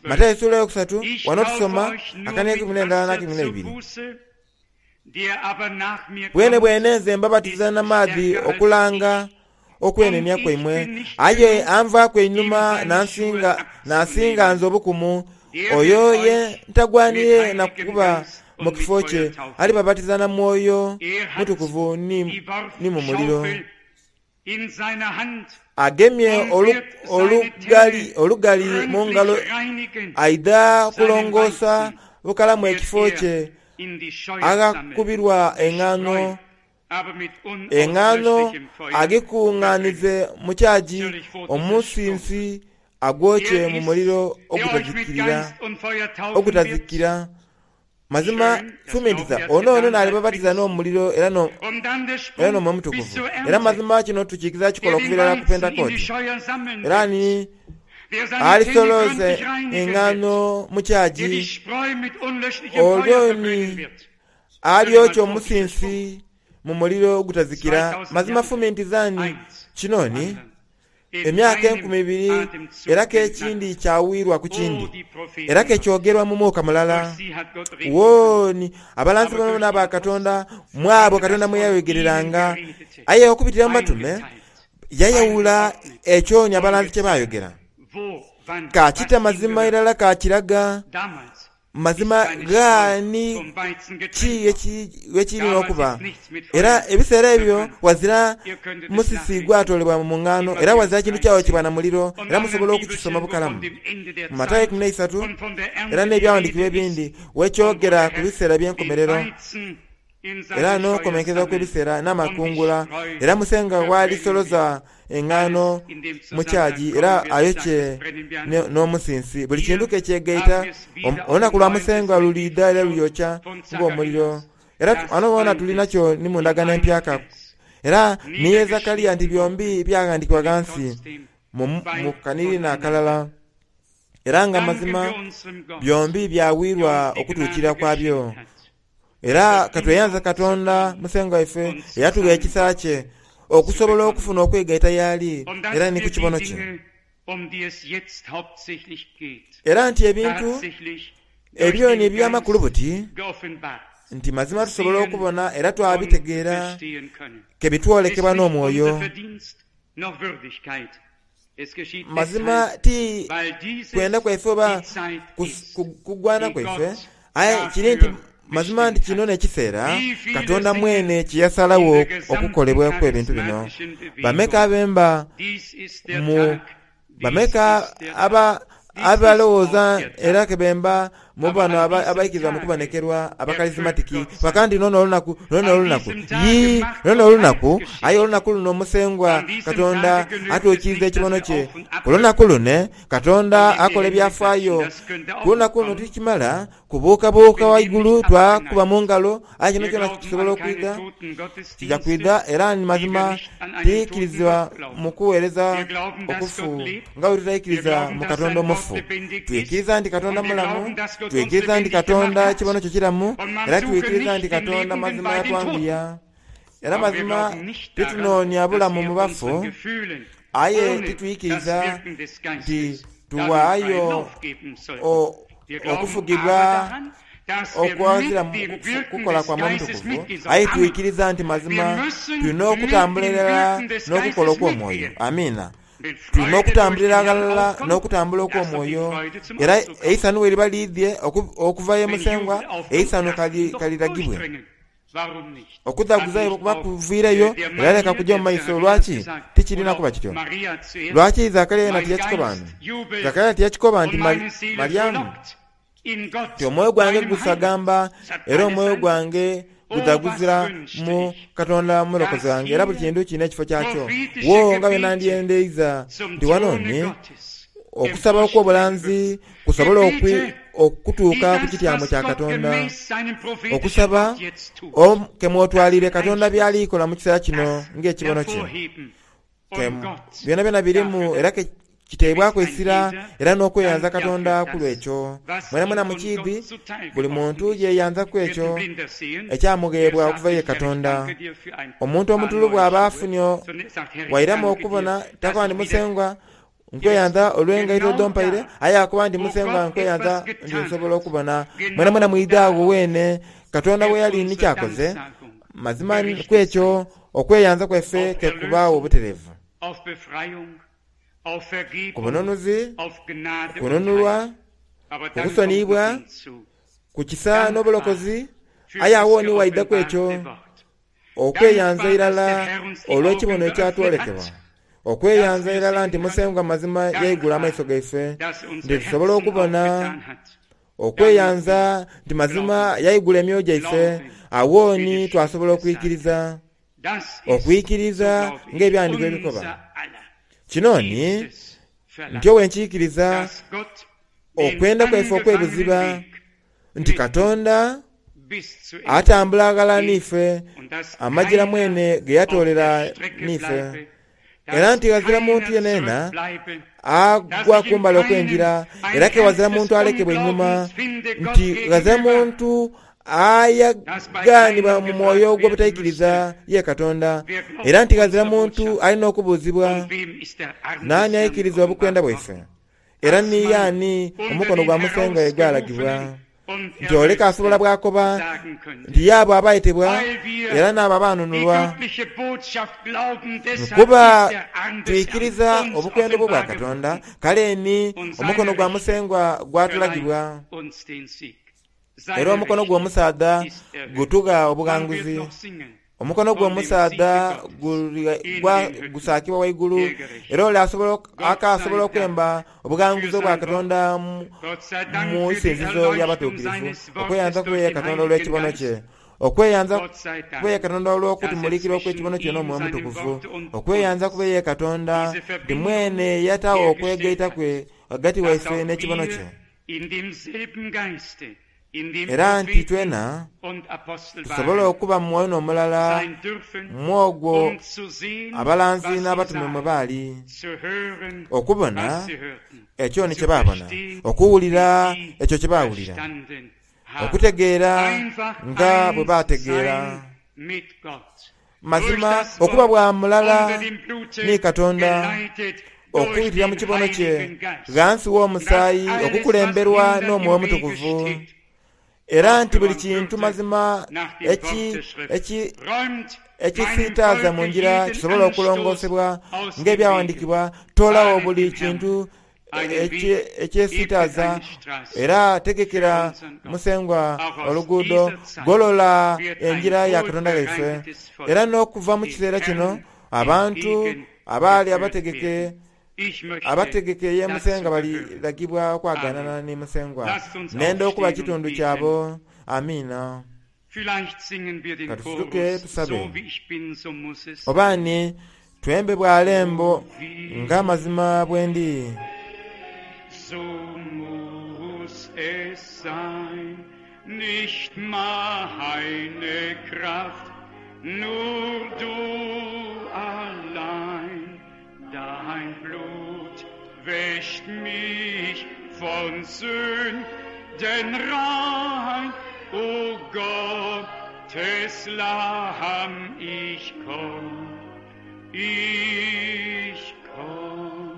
Speaker 1: Matayo essuula eyokusatu, wano tusoma akana eikumi n'endala n'eikumi n'eibiri. Bwenebwene nze mbabatiza na maadhi okulanga okwenenia kwaimwe, aye anvaaku einhuma n'asinga nze obukumu, oyo ye ntagwaniire na kuba mu kifo kye, alibabatiza na Mwoyo Mutukuvu ni mu muliro. Agemye olugali mu ngalo aidha kulongoosa bukalamu ekifo kye aghakubirwa engaano, engaano agikungaanize mu kyagi, omusinsi agwokye mu muliro ogutazikira. Mazima fumintiriza, ono ono n'alibabatiza n'omuliro era n'Omwoyo Omutukuvu. Era mazima kino tukiikiriza kikola okuva irala ku Pentekooti. Era ni alisoloza engaano mu kyagi, olwo ni alyokya omusinsi mu muliro ogutazikira. Mazima fumintiriza ni kino ni emyaka enkumi ibiri era k'ekindi kyawirwa ku kindi, era k'ekyogerwa mu muuka mulala. Wooni abalanzi boonaboona aba Katonda, mu abo Katonda mwe yayogereranga, aye okubitira mu batume yayawula ekyo ni abalanzi kye baayogera. Ka kita mazima irala kakiraga mazima gha ni ki ghekiri n'okuba. Era ebiseera ebyo ghazira musisi gwatoolebwa mu ngaano, era ghazira kintu kyayokyebwa na muliro, era musobola okukisoma bukalamu mu Matayo eikumi n'eisatu era n'ebyawandiikibwa ebindi wekyogera ku biseera by'enkomerero era n'okukomenkereza kw'ebiseera n'amakungula. Era Musengwa bw'alisoloza engaano mu kyagi era ayokye n'omusinsi, buli kintu ke kyegaita, olunaku lwa Musengwa luliidha era lulyokya ng'omuliro. Era ghano ghona tuli nakyo ni mu ndagaano empyaka. Era ni ye Zakaria nti byombi byaghandiikibwa ghansi mu kanhiriri n'akalala. Era nga mazima byombi byawirwa okutuukirira kwabyo. Era katweyanze Katonda Musengwa waife eyatugha ekisa kye okusobola okufuna okwegaita y'ali era ni ku kibono kye. Era nti ebintu ebyo ni eby'amakulu buti, nti mazima tusobola okubona era twabitegeera ke bitwolekebwa n'omwoyo. Mazima ti kwenda kwaife oba kugwana kwaife, aye kiri nti mazima nti kino n'ekiseera Katonda mwene kye yasalagho okukolebwaku ebintu bino. Bameka abemba mu bameka aba abalowooza era ke bemba mu bano abaikiriza mu kubonekerwa abakalizimatiki baka nti luno n'olunaku, luno n'olunaku. Yii, luno n'olunaku, aye olunaku luno Musengwa Katonda atuukiriza ekibono kye. Ku lunaku lune Katonda akola ebyafaayo. Ku lunaku luno tikimala kubuukabuuka ghaigulu twakuba mu ngalo, aye kino kyona kisobola okwidha. Kija kwidha era ni mazima tiikirizibwa mu kuweereza okufu nga bwe tutaikiriza mu Katonda omufu. Twikiriza nti Katonda mulamu, twikiriza nti Katonda ekibono kye kiramu, era twikiriza nti Katonda mazima yatwanguya. Era mazima titunoonia bulamu mu bafu, aye titwikiriza nti tuwaayo okufugibwa okwazira kukola kwa Mwoyo Mutukuvu, aye twikiriza nti mazima tulina okutambula irala n'okukola okw'omwoyo. Amiina. Tulina okutambulira aghalala n'okutambula okw'omwoyo. Era eisanhu bwe liba liidhye okuva ye Musengwa, eisanhu kaliragibwe. Okudhaguza kuba kuviireyo era leka kujja mu maiso. Lwaki tikirina kuba kityo? Lwaki Zakaria yena tiyakikoba nti? Zakaria tiyakikoba nti Mariamu nti omwoyo gwange gusagamba era omwoyo gwange gudhaguzira mu Katonda mulokozi wange, era buli kintu kirina ekifo kyakyo. Wo nga bwe nandyendeiza nti wano ni okusaba okw'obulanzi kusobola okutuuka ku kityamo kya Katonda. Okusaba kemwotwalire Katonda byali kola mu kiseera kino ng'ekibono kye. Byonabyona birimu era kiteebwaku essira era n'okweyanza Katonda ku lw'ekyo. Mwenamwena mukiidhi buli muntu yeyanzaku ekyo ekyamugheebwa okuva ye Katonda. Omuntu omutulu bw'aba afunye wairamu okubona takoba nti Musengwa nkweyanza olw'engaito dhompaire, aye akoba nti Musengwa nkweyanza nti nsobola okubona. Mwenamwena mwidhi agho weene Katonda bwe yali ni kyakoze. Mazima ku ekyo okweyanza kwaife kekubaagho obutereevu. Ku bununuzi, ku kununulwa, ku kusoniyibwa, ku kisa n'obulokozi, aye agho ni waidhaku ekyo okweyanza irala olw'ekibono ekyatwolekebwa. Okweyanza irala nti Musengwa mazima yaigula amaiso gaife nti tusobola okubona. Okweyanza nti mazima yaigula emyoyo gyaife, agho ni twasobola okwikiriza. Okwikiriza ng'ebyandiiko ebikoba. Kino ni nti owenkiikiriza okwenda kwaife okw'ebuziba nti Katonda atambula aghalala n'ife amajira mwene ge yatoolera n'ife, era nti ghazira muntu yenayena agwa kumbali okw'enjira, era ke ghazira muntu alekebwa einhuma, nti ghazira muntu ayagaanibwa mu mwoyo ogw'obutaikiriza ye Katonda, era nti ghazira muntu alina okubuuzibwa, Naani aikiriza obukwenda bwaife? Era ni yaani omukono gwa Musengwa ye gwalagibwa? Nti ole k'asobola bw'akoba nti y'abo abaayetebwa era n'abo abaanunulwa. Kuba twikiriza obukwenda obwo bwa Katonda, kale ni omukono gwa Musengwa gwatulagibwa. Era omukono gw'omusaadha gutugha obughanguzi. Omukono gw'omusaadha gusaakibwa ghaigulu, era ole akaasobola okwemba obughanguzi obwa Katonda mu isinzizo ly'abatuukirivu. Okweyanza kube ye Katonda olw'ekibono kye. Okweyanza kube ye Katonda olw'okutumulikira okw'ekibono kye n'Omwoyo Omutukuvu. Okweyanza kube ye Katonda nti mwene yataagho okwegaita kwe ghagati waife n'ekibono kye. Era nti twena tusobole okuba mu mwoyo n'omulala mu ogwo abalanzi n'abatume mwe baali, okubona ekyo ni kye baabona, okuwulira ekyo kye baawulira, okutegeera nga bwe baategeera. Mazima okuba bwa mulala ni Katonda, okubitira mu kibono kye ghansi w'omusaayi, okukulemberwa n'Omwoyo Omutukuvu, era nti buli kintu mazima ekisiitaaza mu ngira kisobola okulongoosebwa ng'ebyawandiikibwa. Toolagho buli kintu ekyesiitaaza era tegekera Musengwa oluguudo, golola engira ya Katonda ghaife. Era n'okuva mu kiseera kino abantu abaali abategeke abategeke ye Musengwa baliragibwa okwagaanana ni Musengwa. Nenda okuba kitundu kyabo. Amiina. Katusituke tusabe. Oba ni twembe bwalembo nga mazima bwendi.
Speaker 2: So muss es sein, nicht meine Kraft, nur du allein. Dein Blut wäscht mich von Sünden rein. O Gottes Lamm, ich komm, ich komm.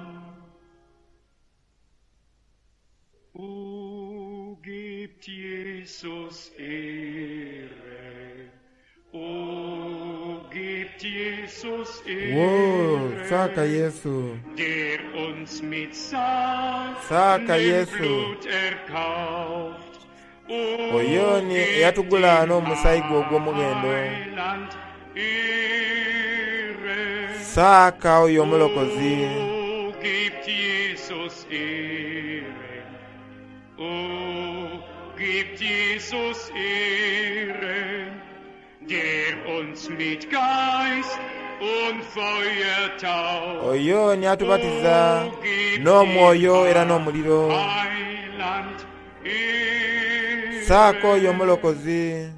Speaker 2: O gebt Jesus Ehre, o gebt Jesus
Speaker 1: Wo, saka
Speaker 2: Ehre,
Speaker 1: Yesu,
Speaker 2: der uns mit
Speaker 1: saka
Speaker 2: seinem
Speaker 1: Yesu,
Speaker 2: Blut erkauft O
Speaker 1: Oyo ni
Speaker 2: gebt
Speaker 1: eyatugula
Speaker 2: dem
Speaker 1: n'omusaayi gwe ogw'omughendo.
Speaker 2: Heiland Ehre.
Speaker 1: Saaka oyo omulokozi.
Speaker 2: O gebt Jesus Ehre. O gebt Jesus Ehre, der uns mit Geist und Feuer tauft.
Speaker 1: Oyo ni atubatiza
Speaker 2: O gebt dem
Speaker 1: n'omwoyo era n'omuliro.
Speaker 2: Heiland
Speaker 1: Saaka oyo
Speaker 2: Ehre.
Speaker 1: omulokozi.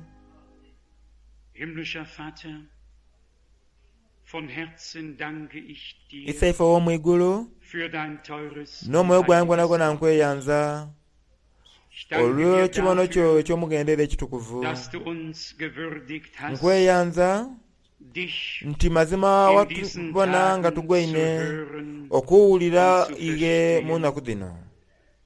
Speaker 2: Himmlischer Vater, von Herzen danke ich dir
Speaker 1: Isaife ow'omwigulu
Speaker 2: für dein teures und
Speaker 1: n'omwoyo gwange
Speaker 2: heiliges
Speaker 1: gwonagwona
Speaker 2: Wort.
Speaker 1: nkweyanza
Speaker 2: Ich danke dir
Speaker 1: olw'ekibono kyo
Speaker 2: dafür,
Speaker 1: eky'omughendo era ekitukuvu.
Speaker 2: dass du uns gewürdigt hast,
Speaker 1: Nkweyanza
Speaker 2: dich
Speaker 1: nti mazima
Speaker 2: in diesen
Speaker 1: watubona nga
Speaker 2: Tagen zu
Speaker 1: tugwaine
Speaker 2: hören
Speaker 1: okuwulira
Speaker 2: und zu
Speaker 1: iye mu
Speaker 2: verstehen.
Speaker 1: nnaku dhino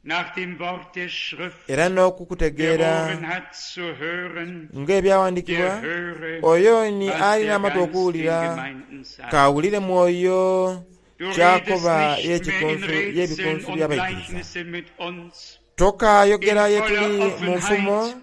Speaker 2: Nach dem Wort der Schrift,
Speaker 1: era
Speaker 2: wer
Speaker 1: n'okukutegeera
Speaker 2: Ohren hat zu hören,
Speaker 1: ng'ebyawandiikibwa
Speaker 2: der höre,
Speaker 1: oyo ni
Speaker 2: was
Speaker 1: alina
Speaker 2: der
Speaker 1: amatu
Speaker 2: Geist den
Speaker 1: okuwulira
Speaker 2: Gemeinden sagt.
Speaker 1: kawulire mwoyo
Speaker 2: Du redest
Speaker 1: kyakoba
Speaker 2: nicht mehr in
Speaker 1: y'ekikunsu
Speaker 2: Rätseln
Speaker 1: y'ebikunsu
Speaker 2: und
Speaker 1: by'abaikiriza.
Speaker 2: Gleichnisse mit uns.
Speaker 1: Tokaayogera
Speaker 2: In
Speaker 1: ye tuli
Speaker 2: voller
Speaker 1: mu nfumo
Speaker 2: Offenheit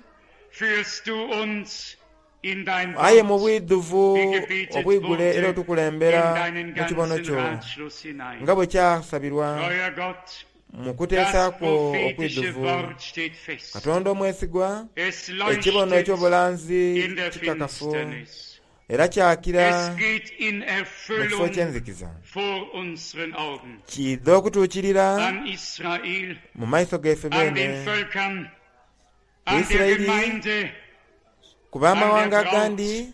Speaker 2: führst du uns in dein
Speaker 1: aye mu
Speaker 2: Wort,
Speaker 1: bwidhuvu
Speaker 2: wie gebetet
Speaker 1: obwigule era
Speaker 2: wurde, in
Speaker 1: otukulembera
Speaker 2: deinen
Speaker 1: mu kibono
Speaker 2: ganzen
Speaker 1: kyo
Speaker 2: Ratschluss hinein.
Speaker 1: nga bwe kyasabirwa
Speaker 2: Treuer Gott,
Speaker 1: mu
Speaker 2: das
Speaker 1: kuteesa kwo
Speaker 2: prophetische
Speaker 1: okwidhuvu.
Speaker 2: Wort steht fest.
Speaker 1: Katonda omwesigwa
Speaker 2: Es
Speaker 1: ekibono
Speaker 2: leuchtet
Speaker 1: eky'obulanzi
Speaker 2: in der
Speaker 1: kikakafu
Speaker 2: Finsternis.
Speaker 1: era kyakira
Speaker 2: Es geht in
Speaker 1: mu kifo
Speaker 2: Erfüllung
Speaker 1: ky'enzikiza
Speaker 2: vor unseren Augen.
Speaker 1: kiidha okutuukirira
Speaker 2: An Israel,
Speaker 1: mu maiso gaife
Speaker 2: an den
Speaker 1: beene
Speaker 2: Völkern,
Speaker 1: ku
Speaker 2: an der
Speaker 1: Isirayiri
Speaker 2: Gemeinde,
Speaker 1: ku
Speaker 2: an der
Speaker 1: b'amawanga
Speaker 2: Braut,
Speaker 1: agandi ku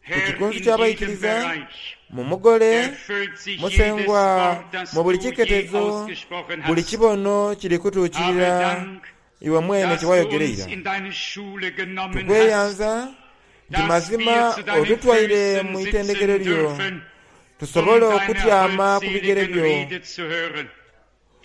Speaker 2: Herr,
Speaker 1: kikunsu
Speaker 2: in jedem
Speaker 1: ky'abayikiriza
Speaker 2: Bereich
Speaker 1: mu mugole
Speaker 2: erfüllt sich jedes
Speaker 1: musengwa
Speaker 2: Wort, das
Speaker 1: mu buli
Speaker 2: du je
Speaker 1: kiketezo
Speaker 2: ausgesprochen
Speaker 1: buli
Speaker 2: hast.
Speaker 1: kibono kiri
Speaker 2: Habe
Speaker 1: kutuukirira
Speaker 2: Dank,
Speaker 1: iwe mwene
Speaker 2: dass
Speaker 1: kye
Speaker 2: du
Speaker 1: wayogera
Speaker 2: uns
Speaker 1: eira.
Speaker 2: in deine Schule genommen hast,
Speaker 1: Tukweyanza nti
Speaker 2: dass
Speaker 1: mazima
Speaker 2: wir zu deinen
Speaker 1: otutwaire
Speaker 2: Füßen
Speaker 1: mu itendekero
Speaker 2: sitzen
Speaker 1: lyo
Speaker 2: dürfen, um
Speaker 1: tusobole
Speaker 2: deine
Speaker 1: okutyama ku bigere
Speaker 2: holdseligen
Speaker 1: byo
Speaker 2: Rede zu hören.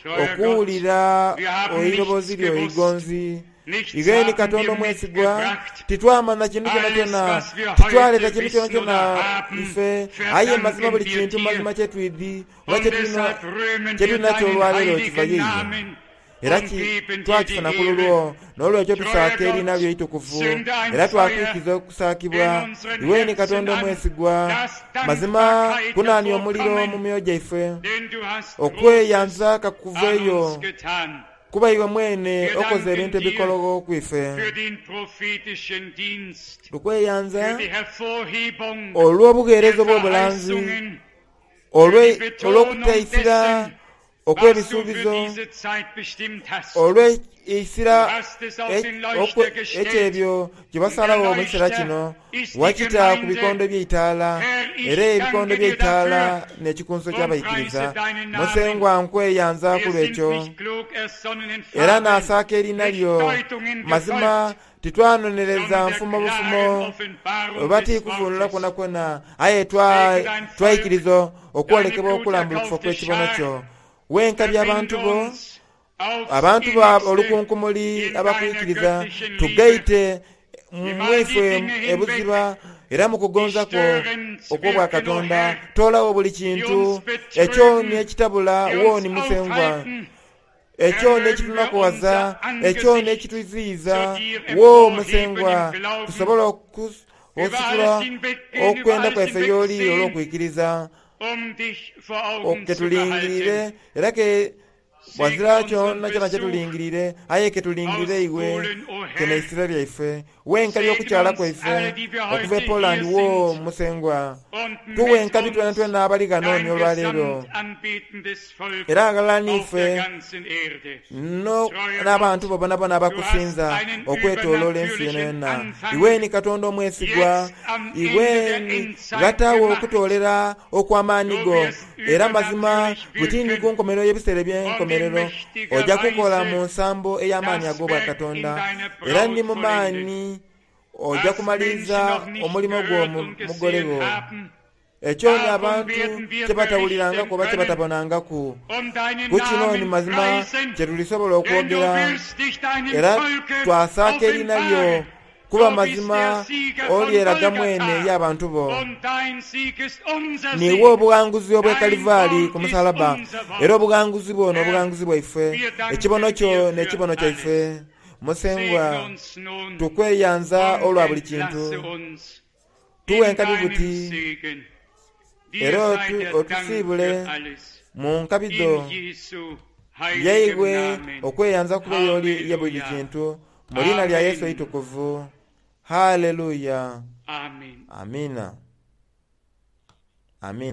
Speaker 2: Treuer Gott,
Speaker 1: okuwulira
Speaker 2: wir haben
Speaker 1: eiroboozi
Speaker 2: nichts
Speaker 1: lyo
Speaker 2: gewusst,
Speaker 1: eigonzi.
Speaker 2: nichts
Speaker 1: Igeeni
Speaker 2: haben
Speaker 1: Katonda
Speaker 2: wir
Speaker 1: omwesigwa
Speaker 2: mitgebracht.
Speaker 1: titwamanya kintu kyona
Speaker 2: Alles,
Speaker 1: kyona
Speaker 2: was wir
Speaker 1: titwaleeta
Speaker 2: heute
Speaker 1: kintu kyona
Speaker 2: wissen
Speaker 1: kyona
Speaker 2: oder haben,
Speaker 1: ife aye mazima
Speaker 2: verdanken
Speaker 1: buli
Speaker 2: wir
Speaker 1: kintu
Speaker 2: dir.
Speaker 1: mazima kyetwidhi oba
Speaker 2: Und
Speaker 1: kyetulina
Speaker 2: deshalb rühmen wir
Speaker 1: kyetulina
Speaker 2: deinen
Speaker 1: kyolwaleero kiva
Speaker 2: heiligen
Speaker 1: ye iwe
Speaker 2: Namen
Speaker 1: era
Speaker 2: und
Speaker 1: ki
Speaker 2: geben dir die
Speaker 1: twakifuna ku
Speaker 2: Ehre.
Speaker 1: lulwo n'olwekyo
Speaker 2: Treuer
Speaker 1: tusaaka erina
Speaker 2: Gott,
Speaker 1: lyo eitukuvu
Speaker 2: zünde ein
Speaker 1: era
Speaker 2: Feuer
Speaker 1: twatuukiza okusaakibwa
Speaker 2: in unseren
Speaker 1: iweni
Speaker 2: Herzen
Speaker 1: Katonda
Speaker 2: an,
Speaker 1: omwesigwa
Speaker 2: dass
Speaker 1: mazima
Speaker 2: Dankbarkeit
Speaker 1: kunaania omuliro mu
Speaker 2: hervorkommen,
Speaker 1: myoyo gyaife
Speaker 2: denn du hast Großes
Speaker 1: okweyanza
Speaker 2: an
Speaker 1: kakuveeyo
Speaker 2: uns getan.
Speaker 1: kuba iwe mwene
Speaker 2: Wir
Speaker 1: okoze
Speaker 2: danken
Speaker 1: ebintu
Speaker 2: dir
Speaker 1: ebikologo ku ife.
Speaker 2: für den prophetischen Dienst,
Speaker 1: Tukweyanza
Speaker 2: für die Hervorhebung
Speaker 1: olw'obuweereza
Speaker 2: der
Speaker 1: obw'obulanzi
Speaker 2: Verheißungen, für
Speaker 1: olwe-
Speaker 2: die Betonung
Speaker 1: olw'okutaisira
Speaker 2: dessen, was du für
Speaker 1: okw'ebisuubizo
Speaker 2: diese Zeit bestimmt hast.
Speaker 1: olw'eisira
Speaker 2: Du hast es auf
Speaker 1: e-
Speaker 2: den
Speaker 1: okwe-
Speaker 2: Leuchter gestellt.
Speaker 1: ekyebyo kye
Speaker 2: Und der
Speaker 1: basalawo mu kiseera
Speaker 2: Leuchter
Speaker 1: kino
Speaker 2: ist die
Speaker 1: wakita ku
Speaker 2: Gemeinde.
Speaker 1: bikondo by'eitaala
Speaker 2: Herr,
Speaker 1: era
Speaker 2: ich
Speaker 1: ebikondo
Speaker 2: danke dir
Speaker 1: by'eitaala
Speaker 2: dafür
Speaker 1: n'ekikunso
Speaker 2: und
Speaker 1: ky'abayikiriza
Speaker 2: preise deinen Namen.
Speaker 1: musengwa nkweyanza ku
Speaker 2: Wir sind
Speaker 1: lwekyo
Speaker 2: nicht klug ersonnen in
Speaker 1: era
Speaker 2: Fabeln,
Speaker 1: n'asaaka erina
Speaker 2: nicht
Speaker 1: lyo
Speaker 2: Deutungen
Speaker 1: mazima
Speaker 2: gefolgt,
Speaker 1: titwanonereza
Speaker 2: sondern der
Speaker 1: nfumo
Speaker 2: klaren
Speaker 1: bufumo
Speaker 2: Offenbarung
Speaker 1: oba
Speaker 2: des
Speaker 1: tikuvunula
Speaker 2: Wortes.
Speaker 1: kwona kwona aye twa-
Speaker 2: Segne dein Volk,
Speaker 1: twayikiriza
Speaker 2: deine
Speaker 1: okwolekebwa okulambulukufa
Speaker 2: bluterkaufte
Speaker 1: okw'ekibono
Speaker 2: Schar,
Speaker 1: kyo wenkabya
Speaker 2: verbinde
Speaker 1: abantu bo
Speaker 2: uns aufs
Speaker 1: abantu ba
Speaker 2: innigste
Speaker 1: olukunkumuli
Speaker 2: in deiner
Speaker 1: abakwikiriza
Speaker 2: göttlichen Liebe.
Speaker 1: tugaite
Speaker 2: Nimm all die
Speaker 1: mwife
Speaker 2: Dinge hinweg,
Speaker 1: ebuziba era mu
Speaker 2: die
Speaker 1: kugonza kwo
Speaker 2: störend
Speaker 1: okw'obwa
Speaker 2: wirken, o
Speaker 1: Katonda
Speaker 2: Herr,
Speaker 1: toolawo buli
Speaker 2: die
Speaker 1: kintu
Speaker 2: uns
Speaker 1: ekyo
Speaker 2: betrügen,
Speaker 1: n'ekitabula
Speaker 2: die
Speaker 1: wooni
Speaker 2: uns
Speaker 1: musengwa
Speaker 2: aufhalten.
Speaker 1: ekyo
Speaker 2: Erhöhen wir
Speaker 1: n'ekitunakuwaza
Speaker 2: unser
Speaker 1: ekyo
Speaker 2: Angesicht
Speaker 1: n'ekituziyiza
Speaker 2: zu dir
Speaker 1: wo
Speaker 2: emporheben
Speaker 1: musengwa
Speaker 2: im Glauben,
Speaker 1: tusobole okus-
Speaker 2: über
Speaker 1: okusitula
Speaker 2: alles hinweggehen, über
Speaker 1: okwenda
Speaker 2: alles
Speaker 1: kwaife y'oli
Speaker 2: hinwegsehen,
Speaker 1: olw'okwikiriza
Speaker 2: um dich vor Augen
Speaker 1: ke
Speaker 2: zu
Speaker 1: tulingirire
Speaker 2: behalten.
Speaker 1: era ke
Speaker 2: Segne
Speaker 1: wazira kyonna
Speaker 2: unseren
Speaker 1: kyona
Speaker 2: Besuch
Speaker 1: kyetulingirire aye ke tulingirire
Speaker 2: aus
Speaker 1: iwe
Speaker 2: Polen, o
Speaker 1: kene
Speaker 2: Herr.
Speaker 1: isira lyaife wenkabya
Speaker 2: Segne
Speaker 1: okukyala
Speaker 2: uns
Speaker 1: kwaife
Speaker 2: alle, die wir
Speaker 1: okuva e
Speaker 2: heute
Speaker 1: Poland
Speaker 2: hier
Speaker 1: wo
Speaker 2: sind
Speaker 1: musengwa
Speaker 2: und mit
Speaker 1: tuwenkabi twena
Speaker 2: uns
Speaker 1: twena abali
Speaker 2: dein
Speaker 1: ganooni olwaleero
Speaker 2: gesamt anbetendes Volk
Speaker 1: era agala
Speaker 2: auf der
Speaker 1: niife
Speaker 2: ganzen Erde.
Speaker 1: no
Speaker 2: Treuer
Speaker 1: n'abantu
Speaker 2: Gott,
Speaker 1: bo bonabona
Speaker 2: du hast
Speaker 1: abakusinza
Speaker 2: einen
Speaker 1: okwetooloola ensi yona
Speaker 2: übernatürlichen
Speaker 1: yonna
Speaker 2: Anfang
Speaker 1: iweni Katonda omwesigwa
Speaker 2: jetzt am Ende der
Speaker 1: iweni
Speaker 2: Endzeit
Speaker 1: gataawo
Speaker 2: gemacht.
Speaker 1: okutoolera okw'amaanyi
Speaker 2: Du
Speaker 1: go
Speaker 2: wirst
Speaker 1: era mazima
Speaker 2: übernatürlich
Speaker 1: butindi ku
Speaker 2: wirken
Speaker 1: nkomerero y'ebiseera
Speaker 2: und in
Speaker 1: eby'enkomerero
Speaker 2: mächtiger
Speaker 1: ojja kukola mu
Speaker 2: Weise
Speaker 1: nsambo ey'amaanyi
Speaker 2: das
Speaker 1: ag'obwa
Speaker 2: Werk in
Speaker 1: Katonda
Speaker 2: deiner
Speaker 1: era
Speaker 2: Braut
Speaker 1: ndi mu
Speaker 2: vollenden.
Speaker 1: maanyi ojja
Speaker 2: Was Menschen
Speaker 1: kumaliriza
Speaker 2: noch nicht
Speaker 1: omulimu gwo
Speaker 2: gehört
Speaker 1: mu
Speaker 2: und
Speaker 1: mugole
Speaker 2: gesehen
Speaker 1: gwo
Speaker 2: haben,
Speaker 1: ekyo ni
Speaker 2: davon
Speaker 1: abantu
Speaker 2: werden wir
Speaker 1: kye batawulirangako
Speaker 2: berichten
Speaker 1: oba kye
Speaker 2: können
Speaker 1: batabonangaku
Speaker 2: und deinen
Speaker 1: ku kino ni
Speaker 2: Namen
Speaker 1: mazima
Speaker 2: preisen,
Speaker 1: kye tulisobola
Speaker 2: denn du
Speaker 1: okwogera
Speaker 2: wirst dich deinem
Speaker 1: era
Speaker 2: Volke
Speaker 1: twasaaka erina lyo
Speaker 2: offenbaren.
Speaker 1: kuba
Speaker 2: Du bist der
Speaker 1: mazima
Speaker 2: Sieger von
Speaker 1: olyeraga mwene eri
Speaker 2: Golgatha
Speaker 1: abantu bo
Speaker 2: und dein Sieg ist unser
Speaker 1: niwe
Speaker 2: Sieg.
Speaker 1: obuwanguzi obw'e
Speaker 2: Dein
Speaker 1: Kalivaali ku
Speaker 2: Wort ist
Speaker 1: musalaba
Speaker 2: unser
Speaker 1: era
Speaker 2: Wort.
Speaker 1: obuwanguzi bwo
Speaker 2: Herr,
Speaker 1: n'obuwanguzi bwaife
Speaker 2: wir
Speaker 1: ekibono
Speaker 2: danken
Speaker 1: kyo
Speaker 2: dir für
Speaker 1: n'ekibono kyaife
Speaker 2: alles.
Speaker 1: Musengwa,
Speaker 2: Segne uns nun
Speaker 1: tukweyanza
Speaker 2: und
Speaker 1: olwa buli kintu.
Speaker 2: entlasse uns
Speaker 1: Tuwe
Speaker 2: in
Speaker 1: enkabi
Speaker 2: deinem
Speaker 1: buti
Speaker 2: Segen. Dir
Speaker 1: era
Speaker 2: sei
Speaker 1: otu-
Speaker 2: der Dank
Speaker 1: otusiibule
Speaker 2: für alles.
Speaker 1: mu nkabi dho
Speaker 2: In Jesu heiligem
Speaker 1: yaibwe
Speaker 2: Namen.
Speaker 1: okweyanza kuba y'oli ye buli
Speaker 2: Halleluja.
Speaker 1: kintu mu liina lya Yesu
Speaker 2: Amen.
Speaker 1: eitukuvu. Haleluya.
Speaker 2: Amen.
Speaker 1: Amina. Amina.